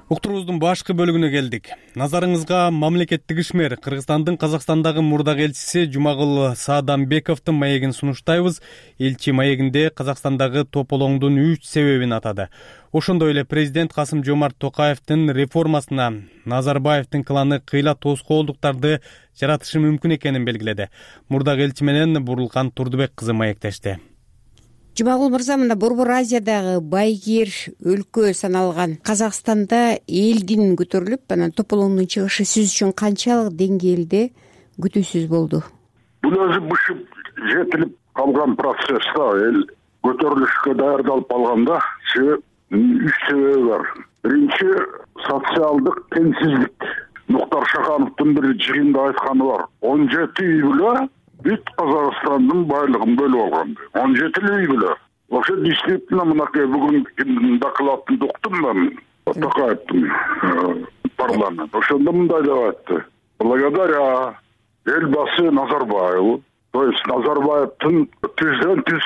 Уктуруубуздун башкы бөлүгүнө келдик. Назарыңызга мамлекеттик ишмер Кыргызстандын Казакстандагы мурдак элчиси Жумагул Саадамбековдун маегин сунуштайбыз. Элчи маегинде Казакстандагы тополоңдун үч себебин атады. Ошондой эле президент Касым Жомарт Токаевдин реформасына Назарбаевдин кланы кыйла тоскоолдуктарды жаратышы мүмкүн экенин белгиледи. Мурдак элчи менен Бурулкан Турдубек кызы маектешти. Жумагул мырза, мында Борбор Азиядагы байгер өлкө саналган Казакстанда элдин көтөрүлүп, анан тополоңдун чыгышы сиз үчүн канчалык деңгээлде күтүүсүз болду? Бул өзү бышып жетилип калган процесс да, эл көтөрүлүшкө даярдалып калганда үч себеби бар. Биринчи, социалдык теңсиздик. Муктар Шахановдун бир жыйында айтканы бар. он жети үй бүлө бүт Казакстандын байлыгын бөлүп алган. он жети үй бүлө. Ошо действительно мынакей бүгүн докладын уктум мен Токаевдин парламент. Ошондо мындай деп айтты. Благодаря элбасы Назарбаеву, то есть Назарбаевдин түздөн түз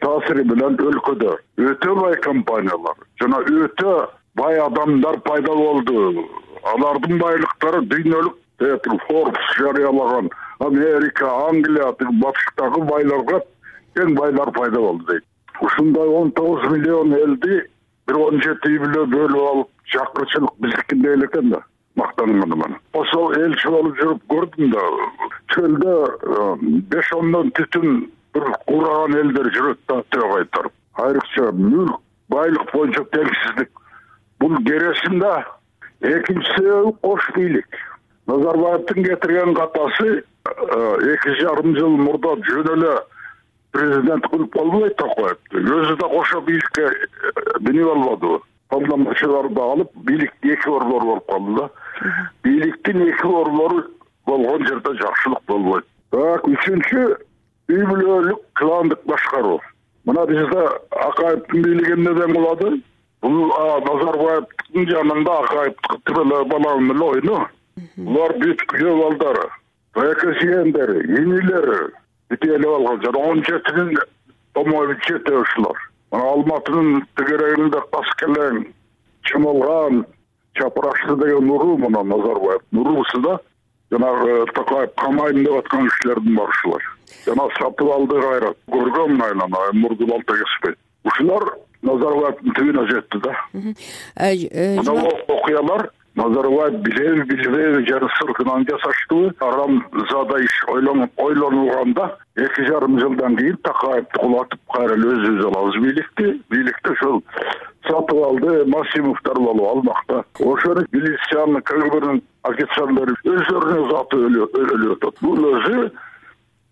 таасири менен өлкөдө өтө бай компаниялар жана өтө бай адамдар пайда болду. Алардын байлыктары дүйнөлүк Forbes жарыялаган Америка, Англия, батыштагы байларга кең байлар пайда болду дейт. Ушундай он тогуз миллион элди бир он жети үй бүлө бөлүп алып, чакырчылык биздикинде эле экен да. Мактанынган мен. Ошол элчи болуп жүрүп көрдүм да. Чөлдө беш ондон түтүн бир кураган элдер жүрөт да, төө кайтарып. Айрыкча мүлк, байлык боюнча теңсиздик. Бул кересинде экинчи себеби кош бийлик. Назарбаевдин кетирген катасы эки жарым жыл мурда жөн эле президент кылып болбойт Токаевди. Өзү да кошо бийликке минип албады. Колдонуучуларды алып, бийлик эки борбор болуп калды да. Бийликтин эки борбору болгон жерде жакшылык болбойт. Так, үчүнчү, үй бүлөлүк кландык башкаруу. Мына бизде Акаевдин бийлиги эмнеден кылады? Бул Назарбаевдин жанында Акаевдин баланын эле ойну. Булар бүт күйөө балдары, эки сүйендери, инилери бүтелип алган. Жана он жети миң томой чете ушулар. Мына Алматынын тегерегинде Каскелең, Чымылган, Чапырашты деген уруу мына Назарбаев уруусу да. Жана Токаев камайын деп аткан кишилердин бар ушулар. Жана сатып алды кайрат. Көргөм айлана, мурду балта кеспейт. Ушулар Назарбаевдин түбүнө жетти да. Мына окуялар Назарбаев билеби билбеби жары сыртынан жасаштыбы, арам зада иш ойлонулганда эки жарым жылдан кийин Токаевди кулатып кайра өзүбүз алабыз бийликти. Бийликти ошол сатып алды Масимовдор болуп алмакта. Ошону милициянын КГБнын офицерлери өздөрүнүн заты өлүп атат. Бул өзү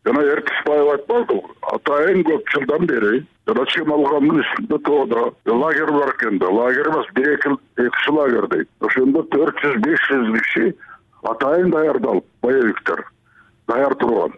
жана Эркисбаев айтпады. Атайын көп жылдан бери жана Чымалгандын үстүндө тоодо лагерь бар экен да. Лагерь эмес, бир эки эки лагерь дейт. Ошондо төрт жүз беш жүз киши атайын даярдалып, боевиктер даяр турган.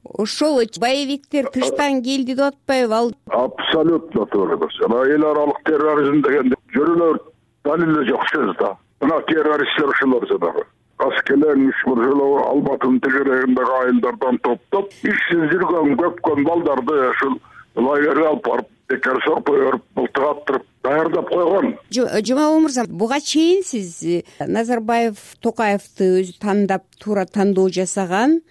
Ошол боевиктер тыштан келди деп атпайбы ал? Абсолютно туура эмес. Жана эл аралык терроризм дегенде жөрөлөр далили жок сөз да. Мына террористтер ушулар жанагы. аскелеңиш бир жолу Албатынын тегерегиндеги айылдардан топтоп ишсиз жүргөн көпкөн балдарды ушул лагерге алып барып бекер сорпо берип былтык аттырып даярдап койгон. Жумабул мырза, буга чейин сиз Назарбаев Токаевди өзү тандап туура тандоо жасаган,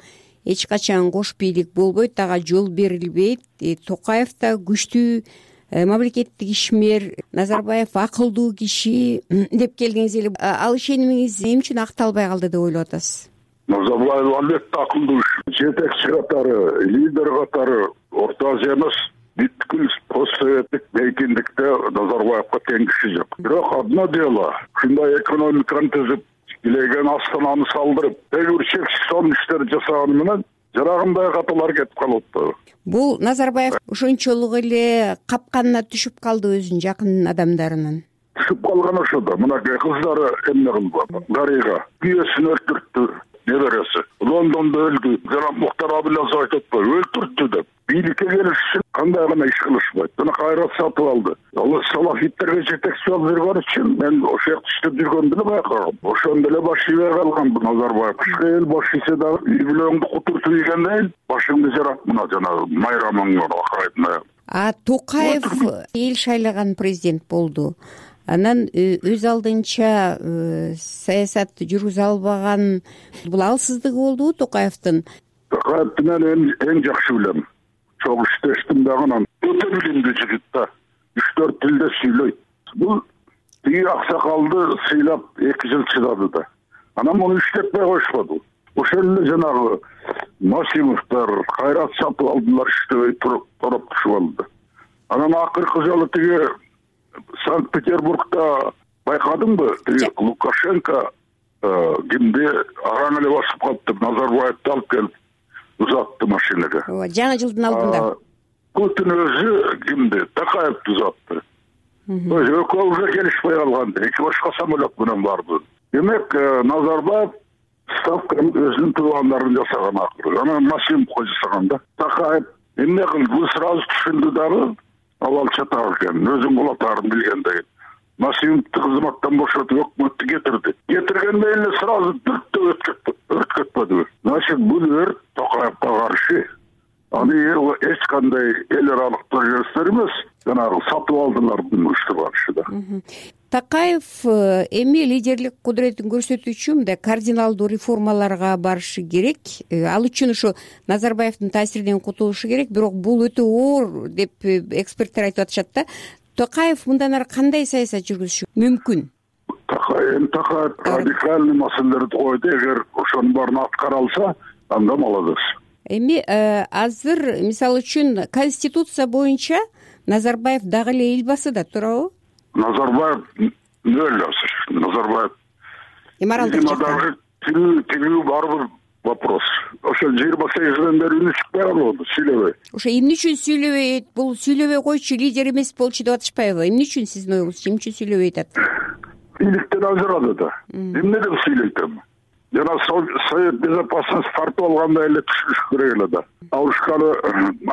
эч качан кош бийлик болбойт, ага жол берилбейт. Токаев да күчтүү мамлекеттик ишмер, Назарбаев акылдуу киши деп келгениз эле, ал ишенимиңиз эмне үчүн акталбай калды деп ойлоп атасыз? Назарбаев албетте акылдуу жетекчи катары, лидер катары Орто Азия эмес, бүткүл постсоветтик эркиндикте Назарбаевга тең киши жок. Бирок одно дело, ушундай экономиканы түзүп, илеген астананы салдырып, бир чексиз сонун иштер жасаганы менен жарагындай каталар кетип калып атпайбы? Бул Назарбаев ошончолук эле капканына түшүп калды өзүнүн жакын адамдарынын. Түшүп калган ошо да. Мынакей кыздары эмне кылды? Дарыга күйөөсүн өлтүрттү, неберesi. Лондондо өлдү. Жана Мухтар Абылязов айтып атпайбы? Өлтүрттү деп. Бийликке келиш үчүн кандай гана иш кылышпайт. Мына кайрат сатып алды. Ал салафиттерге жетекчи болуп жүргөн үчүн мен ошол жакта иштеп жүргөндү эле байкагам. Ошондо эле баш ийбей калган бу Назарбаев. Эл баш ийсе дагы үй бүлөңдү кутуртуп ийгендей башыңды жарат мына жанагы майрамыңды акырайтын. А Токаев эл шайлаган президент болду. Анан өз алдынча саясат жүргүзө албаган бул алсыздыгы болдубу Токаевдин? Токаевди мен эң жакшы билем. Чоң иштештим дагы анан. Өтө билимдүү жигит да. үч төрт тилде сүйлөйт. Бул тиги аксакалды сыйлап эки жыл чыдады да. Анан муну иштетпей койшподу. Ошол эле жанагы Масимовдор, Кайрат Сатыбалдылар иштебей туруп туруп алды. Анан акыркы жолу тиги Санкт-Петербургда байкадыңбы? Тиги Лукашенко кимди араң эле басып калды, Назарбаевди алып келип узатты машинага. Жаңы жылдын алдында. Путин өзү кимди? Токаевди узатты. Экөө уже келишпей калган. Эки башка самолет менен барды. Демек, Назарбаев ставканы өзүнүн туугандарын жасаган акыры. Анан Масимовго жасаган да. Токаев эмне кылды? Бул сразу түшүндү дагы. Авал чатак экен, өзүн кулатарын билгендей. Масимовду кызматтан бошотуп өкмөттү кетирди. Кетиргенде эле сразу дүрттөп өрт кетпеди. Значит, бул өрт Токаевга каршы. Аны эч кандай эл аралыктуу жүрөстөр эмес, жанагы сатып алдылардын уюштурган да. Токаев эми лидерлик кудуретін көрсөтүү үчүн мындай кардиналдуу реформаларга барышы керек. Ал үчүн ушу Назарбаевдин таасиринен кутулушу керек, бирок бул өтө оор деп эксперттер айтып атышат да. Токаев мындан ары кандай саясат жүргүзүшү мүмкүн? Токаев Токаев радикальный маселелерди койду. Эгер ошонун баарын аткара алса, анда молодец. Эми азыр мисалы үчүн конституция боюнча Назарбаев дагы эле эл баасы да, туурабы? Назарбаев нөл азыр. Назарбаев моралдык жактан тирүү барбыр вопрос. Ошо жыйырма сегизден бери үнү чыкпай калды, сүйлөбөй. Ошо эмне үчүн сүйлөбөйт? Бул сүйлөбөй койчу лидер эмес болчу деп атышпайбы? Эмне үчүн сиздин оюңуз? Эмне үчүн сүйлөбөй атат? Бийликтен ажырады да. Эмне деп сүйлөйт эми? Жана Совет безопасности фарты болгондой эле түшүнүш керек эле да. Алышканы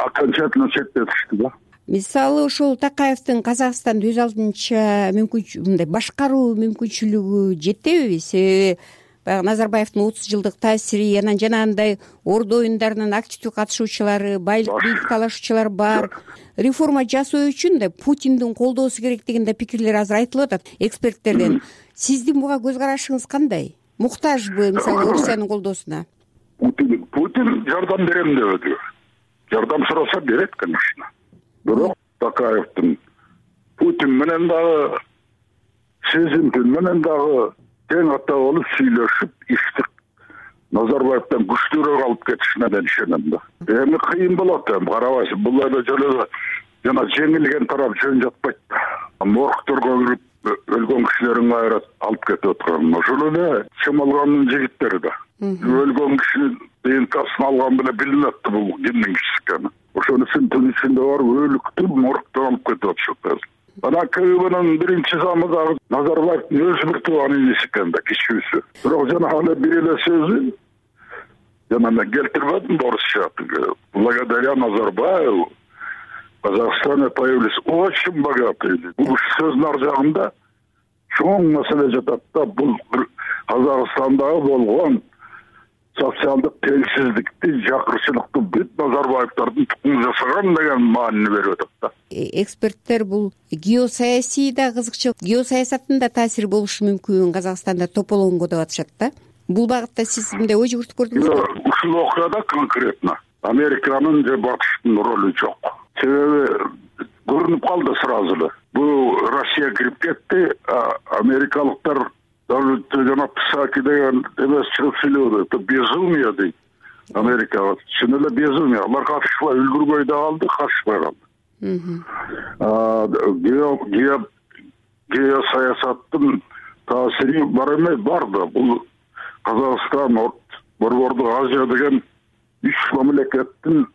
окончательно чектетишти да. Мисалы ошол Токаевдин Казакстанды өз алдынча мүмкүнчүлүгү, мындай башкаруу мүмкүнчүлүгү жетеби? Себеби баягы Назарбаевдин отуз жылдык таасири, анан жанагындай ордо оюндарынын активдүү катышуучулары, бийлик талашуучулар бар. Реформа жасоо үчүн да Путиндин колдоосу керек деген да пикирлер азыр айтылып атат эксперттерден. Сиздин буга көз карашыңыз кандай? Муктажбы мисалы Орусиянын колдоосуна? Путин Путин жардам берем дебеди. Жардам сураса берет, конечно. Бирок Токаевдин Путин менен дагы Сезимпин менен дагы тең ата болуп сүйлөшүп, ишти Назарбаевден күчтүүрөөк алып кетишине мен ишенем да. Эми кыйын болот эми, карабайсың, бул эле жолу жана жеңилген тарап жөн жатпайт да. Моргторго кирип өлгөн кишилерин кайра алып кетип аткан. Ошол эле чымалгандын жигиттери да. Өлгөн кишинин ДНКсын алган беле билинип атты бул кимдин кишиси экени. Ошону түн ичинде барып өлүктү моргтон алып кетип атышат. Ана КГБнын биринчи замы дагы Назарбаевдин өзү бир тууган иниси экен да, кичүүсү. Бирок жана эле бир эле сөзү жана мен келтирбедим орусча. Благодаря Назарбаеву в Казахстане появились очень богатые люди. Бул сөздүн ар жагында чоң маселе жатат да. Бул Казакстандагы болгон социалдык теңсиздикти, жакырчылыкты бүт Назарбаевдардын тукуму жасаган деген маанини берип атат да. Эксперттер бул геосаясий да кызыкчылык, геосаясаттын да таасири болушу мүмкүн Казакстанда тополоңго деп атышат да. Бул багытта сиз мындай ой жүгүртүп көрдүңүзбү? Ушул окуяда конкретно Американын же Батыштын ролу жок. Себеби көрүнүп калды сразу эле. Бул Россия кирип кетти, америкалыктар жана Псаки деген эмес чыгып сүйлөдү. Это безумие дейт. Америка чын эле безумие. Алар катышпай үлгүрбөй да калды, катышпай калды. Геосаясаттын таасири бар эмес, бар да. Бул Казакстан, Борбордук Азия деген үч мамлекеттин,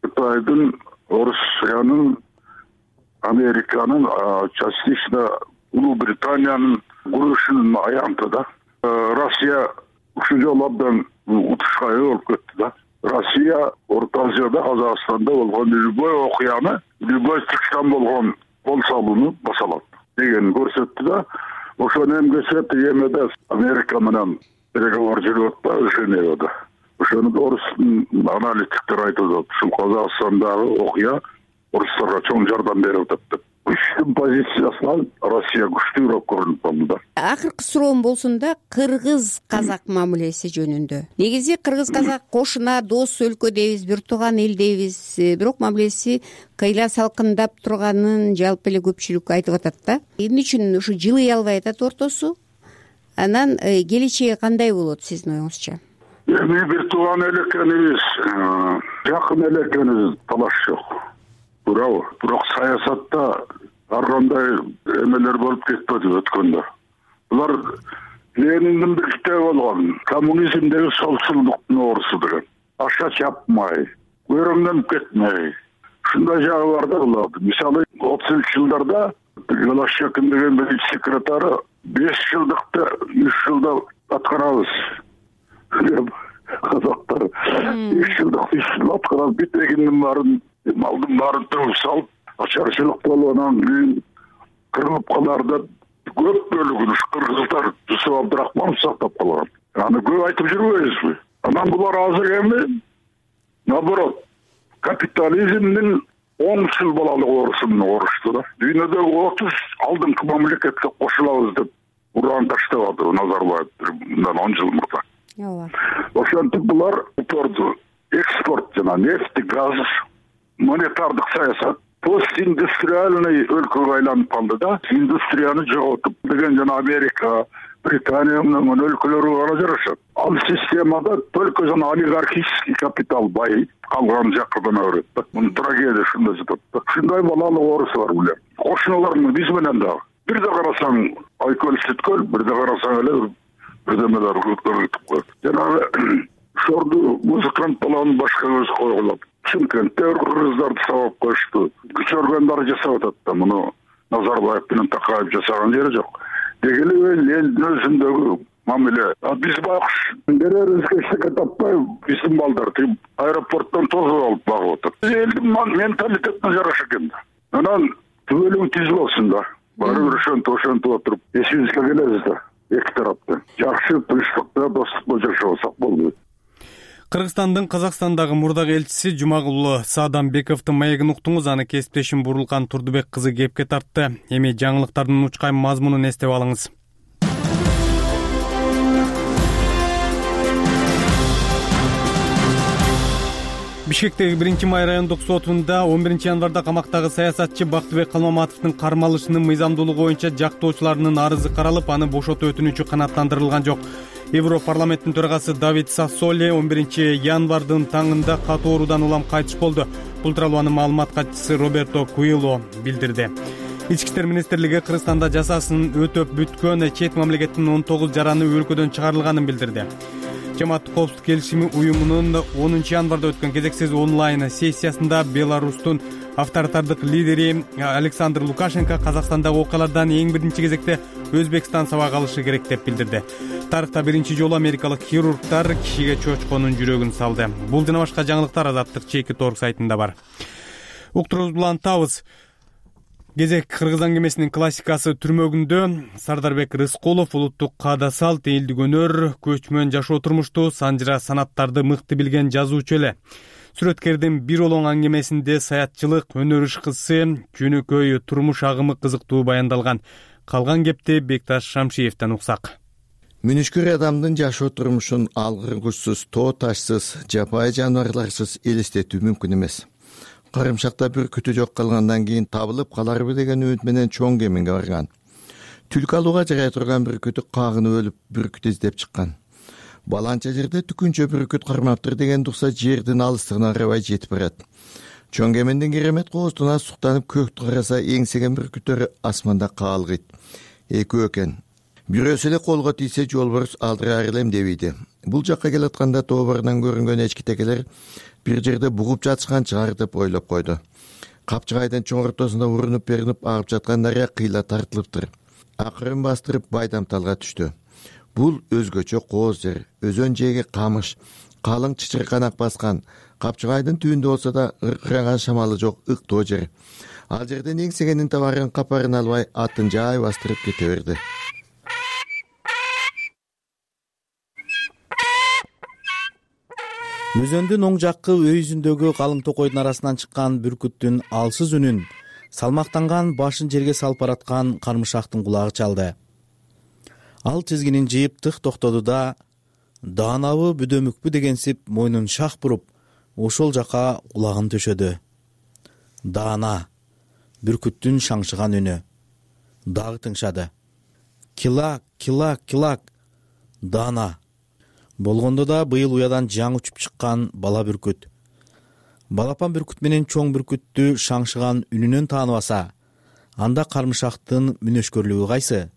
Кытайдын, Орусиянын, Американын, частично Улуу Британиянын күрөшүнүн аянты да. Россия ушул жолу абдан утушка ээ болуп кетти да. Россия Орто Азияда, Казакстанда болгон любой окуяны, любой чыкштан болгон кол салууну баса алат деген көрсөттү да. Ошону эмгесе тигемеде Америка менен переговор жүрүп атпайбы Женевада. Ошону орустун аналитиктер айтып атат. Ушул Казакстандагы окуя орустарга чоң жардам берип атат деп. Күчтүн позициясынан Россия күчтүүрөөк көрүнүп калды да. Акыркы суроом болсун да, кыргыз-казак мамилеси жөнүндө. Негизи кыргыз-казак кошуна, дос өлкө дейбиз, бир тууган эл дейбиз, бирок мамилеси кыйла салкындап турганын жалпы эле көпчүлүк айтып атат да. Эмне үчүн ушу жылый албай атат ортосу? Анан келечеги кандай болот сиздин оюңузча? Эми бир тууган эл экенибиз, жакын эл экенибиз талаш жок. Туурабы? Бирок саясатта ар кандай эмелер болуп кетпеди өткөндө. Булар Лениндин бир китеби болгон, коммунизмдеги солчулдуктун оорусу деген. Аша чапмай, көрөңдөнүп кетмей. Ушундай жагы бар да булардын. Мисалы, отузунчу жылдарда Голощекин деген биринчи секретары беш жылдыкты үч жылда аткарабыз. Казактар үч жылдык үч жыл аткарабыз, бүт эгиндин баарын, малдын баарын төгүп салып, ачарчылык болуп анан кийин кырылып калар деп көп бөлүгүн ушу кыргыздар Жусуп Абдрахманов сактап калган. Аны көп айтып жүрбөйбүзбү? Анан булар азыр эми наоборот капитализмдин оңчул балалык оорусуна оорушту да. Дүйнөдөгү отуз алдыңкы мамлекетке кошулабыз деп уран таштабады Назарбаев мындан он жыл мурда. Ооба. Ошентип булар торду экспорт жана нефть, газ, монетардык саясат постиндустриальный өлкөгө айланып калды да. Индустрияны жоготуп деген жана Америка, Британия менен өлкөлөрү гана жарашат. Ал системада только жана олигархический капитал бай калган жаккана берет да. Мунун трагедия ушунда жатат да. Ушундай балалык оорусу бар булар. Кошуналар биз менен дагы. Бир да карасаң айкөл сүткөл, бир да карасаң эле бирдемелер өтүп коет. Жанагы шорду музыкант баланын башка көзү койгулап, Чымкентте кыргыздарды сабап коюшту. Күчөргөндөр жасап атат да, муну Назарбаев менен Такаев жасаган жери жок. Дегеле элдин өзүндөгү мамиле. Биз байкуш берерибизге эчтеке таппай, биздин балдар тип аэропорттон тосуп алып багып атат. Элдин менталитетине жараша экен да. Анан түбөлүгү түз болсун да. Баары бир ошентип ошентип отуруп, эсибизге келебиз да. Эки тараптан жакшы тынчтыкта, достукта жашасак болду. Кыргызстандын Казакстандагы мурдагы элчиси Жумагулов Саадамбековдун маегин уктуңуз, аны кесиптешим Бурулкан Турдубек кызы кепке тартты. Эми жаңылыктардын учкай мазмунун эстеп алыңыз. Бишкектеги биринчи май райондук сотунда он биринчи январда камактагы саясатчы Бактыбек Калмаматовдун кармалышынын мыйзамдуулугу боюнча жактоочуларынын арызы каралып, аны бошотуу өтүнүчү канааттандырылган жок. Европарламенттин төрагасы Давид Сассоли он биринчи январдын таңында катуу оорудан улам кайтыш болду. Бул тууралуу анын маалымат катчысы Роберто Куило билдирди. Ички иштер министрлиги Кыргызстанда жазасын өтөп бүткөн чет мамлекеттин он тогуз жараны өлкөдөн чыгарылганын билдирди. Жамааттык коопсуздук келишими уюмунун онунчу январда өткөн кезексиз онлайн сессиясында Беларустун авторитардык лидери Александр Лукашенко Казакстандагы окуялардан эң биринчи кезекте Өзбекстан сабак алышы керек деп билдирди. Тарыхта биринчи жолу америкалык хирургдар кишиге чочконун жүрөгүн салды. Бул жана башка жаңылыктар Азаттык чекит орг сайтында бар. Уктуруубузду улантабыз. Кезек кыргыз аңгемесинин классикасы түрмөгүндө Сардарбек Рыскулов улуттук каада салт, элдик өнөр, көчмөн жашоо турмушту, санжыра санаттарды мыкты билген жазуучу эле. Сүрөткердин бир олоң аңгемесинде саятчылык, өнөр ышкысы, жөнөкөй турмуш агымы кызыктуу баяндалган. Калган кепти Бекташ Шамшиевден уксак. Мүнүшкүр адамдын жашоо турмушун алгыргычсыз, тоо ташсыз, жапайы жаныбарларсыз элестетүү мүмкүн эмес. Карымшакта бүркүтү жок калгандан кийин табылып каларбы деген үмүт менен чоң кеминге барган. Түлкү алууга жарай турган бүркүтү кагынып өлүп, бүркүт издеп чыккан. Баланча жерде түкүнчө бүркүт кармаптыр деген дукса жердин алыстыгына карабай жетип барат. Чоң кемендин керемет кооздуна суктанып көктү караса эңсеген бүркүттөр асманда каалгыйт. Экөө экен. Бирөөсү эле колго тийсе жолборс алдыраар элем дебейди. Бул жакка келатканда тоборунан көрүнгөн эчкитекелер бир жерде бугуп жатышкан чыгар деп ойлоп койду. Капчыгайдын чоң ортосунда урунуп беринип агып жаткан дарыя кыйла тартылыптыр. Акырын бастырып Байдамталга түштү. Бул өзгөчө кооз жер, өзөн жээги камыш, калың чычырканак баскан, Капчыгайдын түбүндө болсо да ыркыраган шамалы жок ыктоо жер. Ал жерден эңсегенин табарын капарын албай атын жай бастырып кете берди. Өзөндүн оң жаккы өйүзүндөгү калың токойдун арасынан чыккан бүркүттүн алсыз үнүн салмактанган башын жерге салып бараткан кармышактын кулагы чалды. Ал тизгинин жыйып тык токтоду да, даанабы бүдөмүкпү дегенсип мойнун шах буруп, ошол жака кулагын төшөдү. Даана, бүркүттүн шаңшыган үнү. Дагы тыңшады. Килак, килак, килак. Даана. Болгондо да быйыл уядан жаңы учуп чыккан бала бүркүт. Балапан бүркүт менен чоң бүркүттү шаңшыган үнүнөн тааныбаса, анда кармышактын мүнөшкөрлүгү кайсы?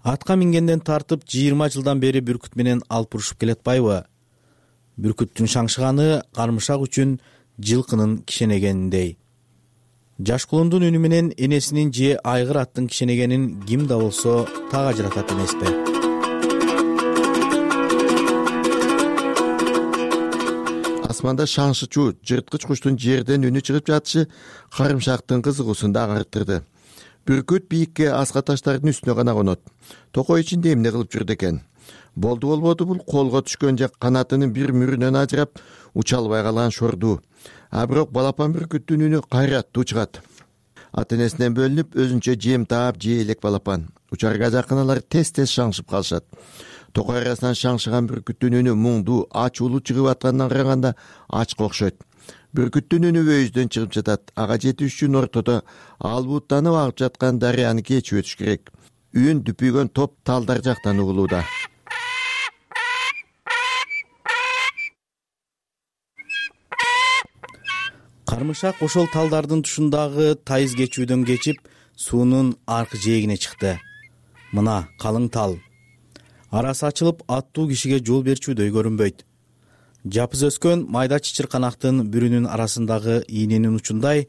Атка мингенден тартып жыйырма жылдан бери бүркүт менен алып урушуп келатпайбы? Бүркүттүн шаңшыганы кармышак үчүн жылкынын кишенегениндей. Жаш кулундун үнү менен энесинин же айгыр аттын кишенегенин ким да болсо так ажыратат эмеспи? Асманда шаңшычуу жырткыч куштун жерден үнү чыгып жатышы карымшактын кызыгуусун да арттырды. Бүркүт бийикке аска таштардын үстүнө гана конот. Токой ичинде эмне кылып жүрдү экен? Болду болбоду бул колго түшкөн же канатынын бир мүрүнөн ажырап уча албай калган шорду. А бирок балапан бүркүттүн үнү кайраттуу чыгат. Ата энесинен бөлүнүп өзүнчө жем таап жей элек балапан. Учарга жакын алар тез-тез шаңшып калышат. Токой арасынан шаңшыган бүркүттүн үнү муңдуу, ачуулуу чыгып аткандан караганда ачка окшойт. Бүркүттүн үнү өйүздөн чыгып жатат. Ага жетиш үчүн ортодо албууттанып агып жаткан дарыяны кечип өтүш керек. Үн дүпүйгөн топ талдар жактан угулууда. Кармышак ошол талдардын тушундагы тайыз кечүүдөн кечип, суунун аркы жээгине чыкты. Мына калың тал. Арасы ачылып, аттуу кишиге жол берчүүдөй көрүнбөйт. Жапыз өскөн майда чычырканактын бүрүнүн арасындагы ийненин учундай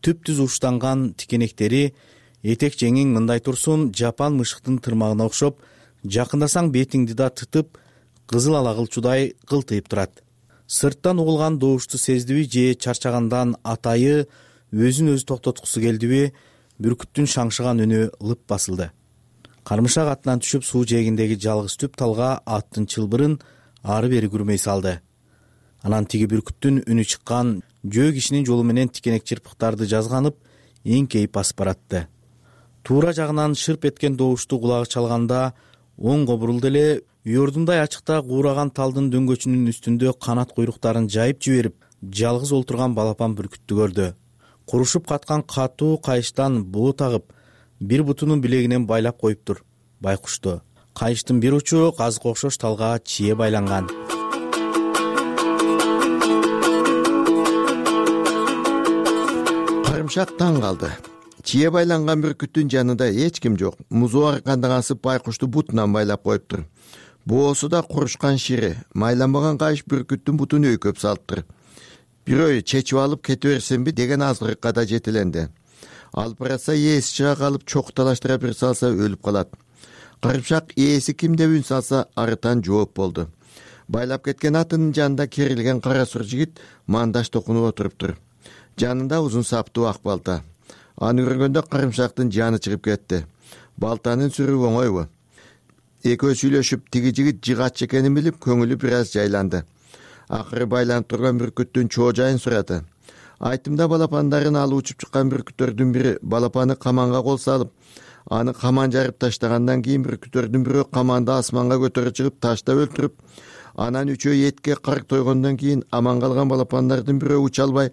түп-түз уштанган тикенектери этек жеңиң мындай турсун жапан мышыктын тырмагына окшоп, жакындасаң бетиңди да тытып, кызыл ала кылчудай кылтыйып турат. Сырттан угулган добушту сездиби же чарчагандан атайы өзүн өзү токтоткусу келдиби, бүркүттүн шаңшыган үнү лып басылды. Кармышак атынан түшүп суу жээгиндеги жалгыз түп талга аттын чылбырын ары бери күрмөй салды. Анан тиги бүркүттүн үнү чыккан жөө кишинин жолу менен тикенек чырпыктарды жазганып, эңкейип басып баратты. Туура жагынан шырп эткен добушту кулагы чалганда оңго бурулду эле, уйордундай ачыкта куураган талдын дөңгөчүнүн үстүндө канат куйруктарын жайып жиберип, жалгыз олтурган балапан бүркүттү көрдү. Курушуп каткан катуу кайыштан боо тагып, бир бутунун билегинен байлап коюптур байкушту. Кайыштын бир учу казыкка окшош талга чие байланган. Карымшак таң калды. Чие байланган бүркүттүн жанында эч ким жок. Музу аркандан асып байкушту бутунан байлап коюптур. Боосу да курушкан шири. Майланбаган кайыш бүркүттүн бутун өйкөп салыптыр. Бирөө чечип алып кете берсемби деген азгырыкка да жетиленди. Алып баратса ээси чыга калып чоку талаштыра бир салса өлүп калат. Карымшак ээси ким деп үн салса арытан жооп болду. Байлап кеткен атынын жанында керилген кара сур жигит мандаш токунуп отуруптур. Жанында узун саптуу ак балта. Аны көргөндө карымшактын жаны чыгып кетти. Балтанын сүрүп оңойбу? Экөө сүйлөшүп, тиги жигит жыгач экенин билип, көңүлү бир аз жайланды. Акыры байланып турган бүркүттүн чоо жайын сурады. Айтымда балапандарын алып учуп чыккан бүркүттөрдүн бири балапаны каманга кол салып, аны каман жарып таштагандан кийин бүркүттөрдүн бирөө каманды асманга көтөрүп чыгып таштап өлтүрүп, анан үчөө этке карк тойгондон кийин аман калган балапандардын бирөө уча албай,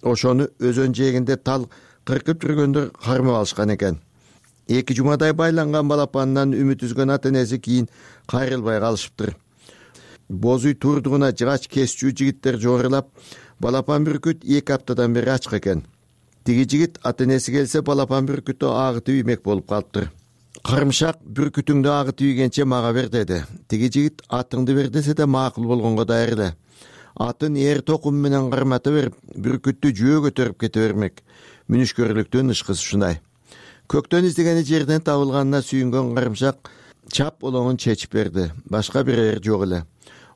ошону өзөн жээгинде тал кыркып жүргөндөр кармап алышкан экен. Эки жумадай байланган балапанынан үмүт үзгөн ата энеси кийин кайрылбай калышыптыр. Боз үй турдугуна жыгач кесчүү жигиттер жорулап, балапан бүркүт эки аптадан бери ачык экен. Тиги жигит ата энеси келсе балапан бүркүттү агытып иймек болуп калыптыр. Карымшак бүркүтүңдү агытып ийгенче мага бер деди. Тиги жигит атыңды бер десе да макул болгонго даяр эле. Атын эр токум менен кармата берип, бүркүттү жөө көтөрүп кете бермек. Мүнүшкөрлүктүн ышкысы ушундай. Көктөн издегени жерден табылганына сүйүнгөн карымшак чап олоңун чечип берди. Башка бир эр жок эле.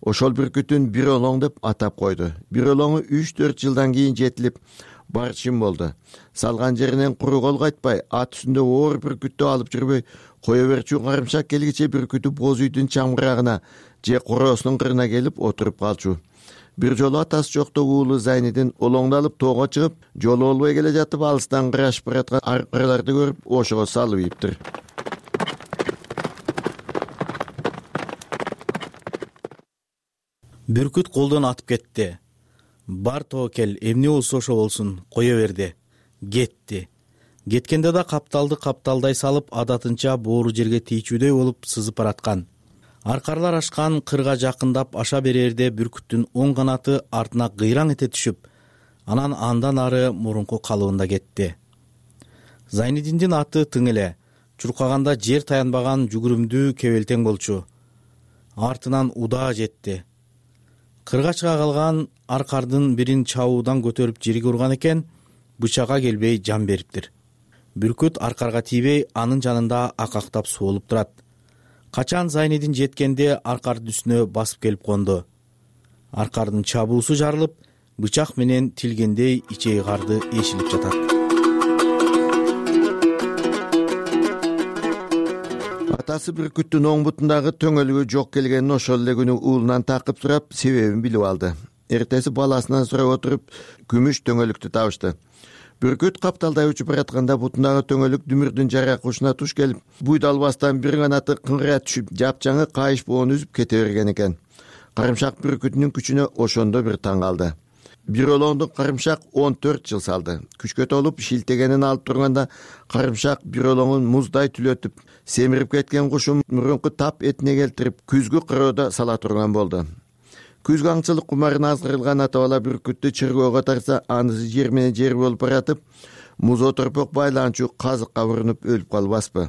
Ошол бүркүтүн бир олоң деп атап койду. Бир олоңу үч төрт жылдан кийин жетилип барчын болду. Салган жеринен куру кол кайтпай, ат үстүндө оор бүркүттү алып жүрбөй кое берчү карымшак келгиче бүркүтү боз үйдүн чамгырагына же короосунун кырына келип отуруп калчу. Бир жолу атасы жокто уулу Зайнидин олоңду алып тоого чыгып, жолу болбой келе жатып алыстан кырашып бараткан аркыларды көрүп, ошого салып ийиптир. Бүркүт колдон атып кетти. Бар тоокел, эмне болсо ошо болсун, кое берди. Кетти. Кеткенде да капталды капталдай салып, адатынча боору жерге тийчүүдөй болуп сызып бараткан. Аркарлар ашкан кырга жакындап аша берерде бүркүттүн оң канаты артына кыйраң эте түшүп, анан андан ары мурунку калыбында кетти. Зайнидиндин аты тың эле, чуркаганда жер таянбаган жүгүрүмдүү кебелтең болчу. Артынан удаа жетти. Кырга чыга калган аркардын бирин чабуудан көтөрүп жерге урган экен, бычакка келбей жан бериптир. Бүркүт аркарга тийбей, анын жанында акактап суолуп турат. Качан Зайнидин жеткенде аркардын үстүнө басып келип конду. Аркардын чабуусу жарылып, бычак менен тилгендей ичеги карды эшилип жатат. Атасы бүркүттүн оң бутундагы төңөлүгү жок келгенин ошол эле күнү уулунан такып сурап, себебин билип алды. Эртеси баласынан сурап отуруп, күмүш төңөлүктү табышты. Бүркүт капталдай учуп баратканда бутундагы төңөлүк дүмүрдүн жарак ушуна туш келип, буйда албастан бир канаты кыңгыра түшүп, жапчаңы кайыш боон үзүп кете берген экен. Карымшак бүркүтүнүн күчүнө ошондо бир таң калды. Бир олоңду карымшак он төрт жыл салды. Күчкө толуп шилтегенин алып турганда, карымшак бир олоңун муздай түлөтүп, семирип кеткен кушун мурунку тап этине келтирип, күзгү кыроодо сала турган болду. Күзгү аңчылык кумарына азгырылган ата бала бүркүттү чыргоого тарса, анысы жер менен жер болуп баратып, музо торпок байланчу казыкка урунуп өлүп калбаспы?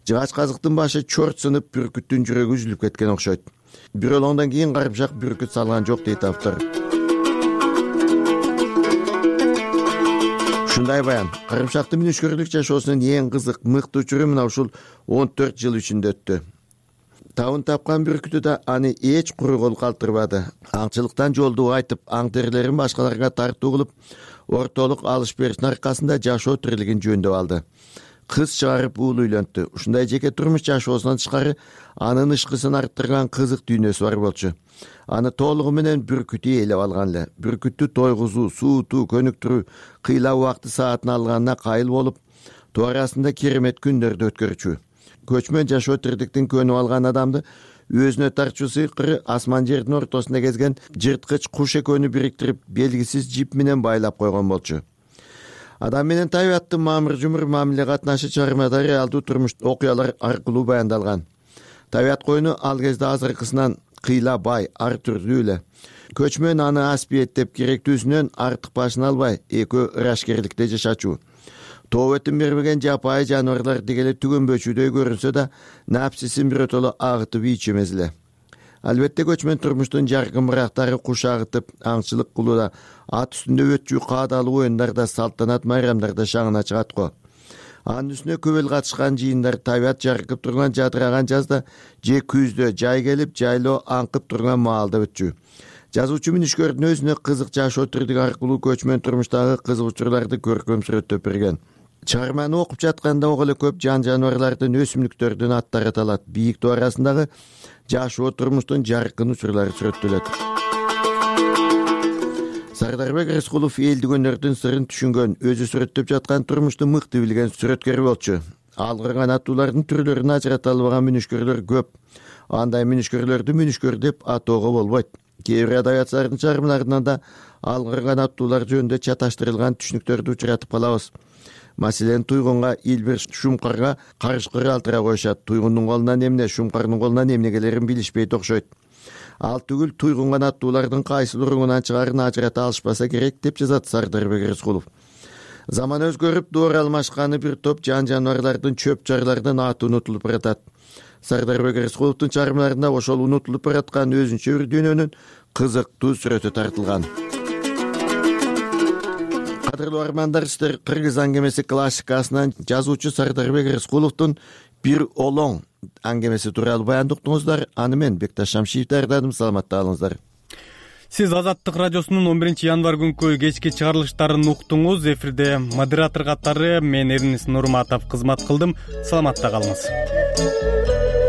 Жыгач казыктын башы чорт сынып, бүркүттүн жүрөгү үзүлүп кеткен окшойт. Бир олоңдон кийин карымшак бүркүт салган жок дейт автор. Ушундай баян. Карымшактын мүнүшкөрлүк жашоосунун эң кызык, мыкты учуру мына ушул он төрт жыл ичинде өттү. Табын тапкан бүркүтү да аны эч куру кол калтырбады. Аңчылыктан жолду айтып, аң терилерин башкаларга тартуу кылып, ортолук алыш бериштин аркасында жашоо тирилигин жөндөп алды. Кыз чыгарып уулу үйлөнттү. Ушундай жеке турмуш жашоосунан тышкары анын ышкысын арттырган кызык дүйнөсү бар болчу. Аны толугу менен бүркүтү ээлеп алган эле. Бүркүттү тойгузуу, суутуу, көнүктүрүү, кыйла убакты саатын алганына кайыл болуп, тоо арасында керемет күндөрдү өткөрчү. Көчмөн жашоо тирдиктин көнүп алган адамды өзүнө тартчу сыйкыры асман жердин ортосунда кезген жырткыч куш экөөнү бириктирип, белгисиз жип менен байлап койгон болчу. Адам менен табияттын мамыр жумур мамиле катнашы чыгармада реалдуу турмуш окуялар аркылуу баяндалган. Табият коюну ал кезде азыркысынан кыйла бай, ар түрдүү эле. Көчмөн аны ас биеттеп керектүүсүнөн артык башын албай, экөө ырашкерликте жашачу. Тоо өтүм бербеген жапайы жаныбарлар дегеле түгөнбөчүдөй көрүнсө да, напсисин биротоло агытып ийчү эмес эле. Албетте көчмөн турмуштун жаркын бырактары куш агытып, аңчылык кылууда, ат үстүндө өтчү каадалуу оюндарда, салтанат майрамдарда шаңына чыгат го. Анын үстүнө көбөл катышкан жыйындар, табият жаркып турган жадыраган жазда, же күздө жай келип, жайлоо аңкып турган маалда өтчү. Жазуучу мүнүшкөрдүн өзүнө кызык жашоо тирдиги аркылуу көчмөн турмуштагы кызык учурларды көркөм сүрөттөп берген. чыгарманы окуп жатканда ого эле көп жан жаныбарлардын, өсүмдүктөрдүн аттары аталат. Бийик тоо арасындагы жашоо турмуштун жаркын учурлары сүрөттөлөт. Сардарбек Рыскулов элдик өнөрдүн сырын түшүнгөн, өзү сүрөттөп жаткан турмушту мыкты билген сүрөткөр болчу. Алгырган аттуулардын түрлөрүн ажырата албаган мүнүшкөрлөр көп. Андай мүнүшкөрлөрдү мүнүшкөр деп атоого болбойт. Кээ бир адабиятчылардын чыгармаларынан да алгырган аттуулар жөнүндө чаташтырылган түшүнүктөрдү учуратып калабыз. Маселен, туйгунга Илбир Шумкарга карышкыр алтыра коюшат. Туйгундун колунан эмне, Шумкардын колунан эмне келерин билишпейт окшойт. Ал түгүл туйгунган аттуулардын кайсыл уруңунан чыгарын ажырата алышпаса керек деп жазат Сардарбек Рыскулов. Заман өзгөрүп, доор алмашканы бир топ жан жаныбарлардын, чөп жарлардын аты унутулуп баратат. Сардарбек Рыскуловдун чыгармаларында ошол унутулуп бараткан өзүнчө бир дүйнөнүн кызыктуу сүрөтү тартылган. Кадырлуу армандар, сиздер Кыргыз аңгемеси классикасынан жазуучу Сардарбек Рыскуловдун «Бир олоң» аңгемеси тууралуу баянды уктуңуздар. Аны мен Бекташ Шамшиев даярдадым. Саламатта калыңыздар. Сиз Азаттык радиосунун он биринчи январь күнкү кечки чыгарылыштарын уктуңуз. Эфирде модератор катары мен Эрнис Нурматов кызмат кылдым. Саламатта калыңыз.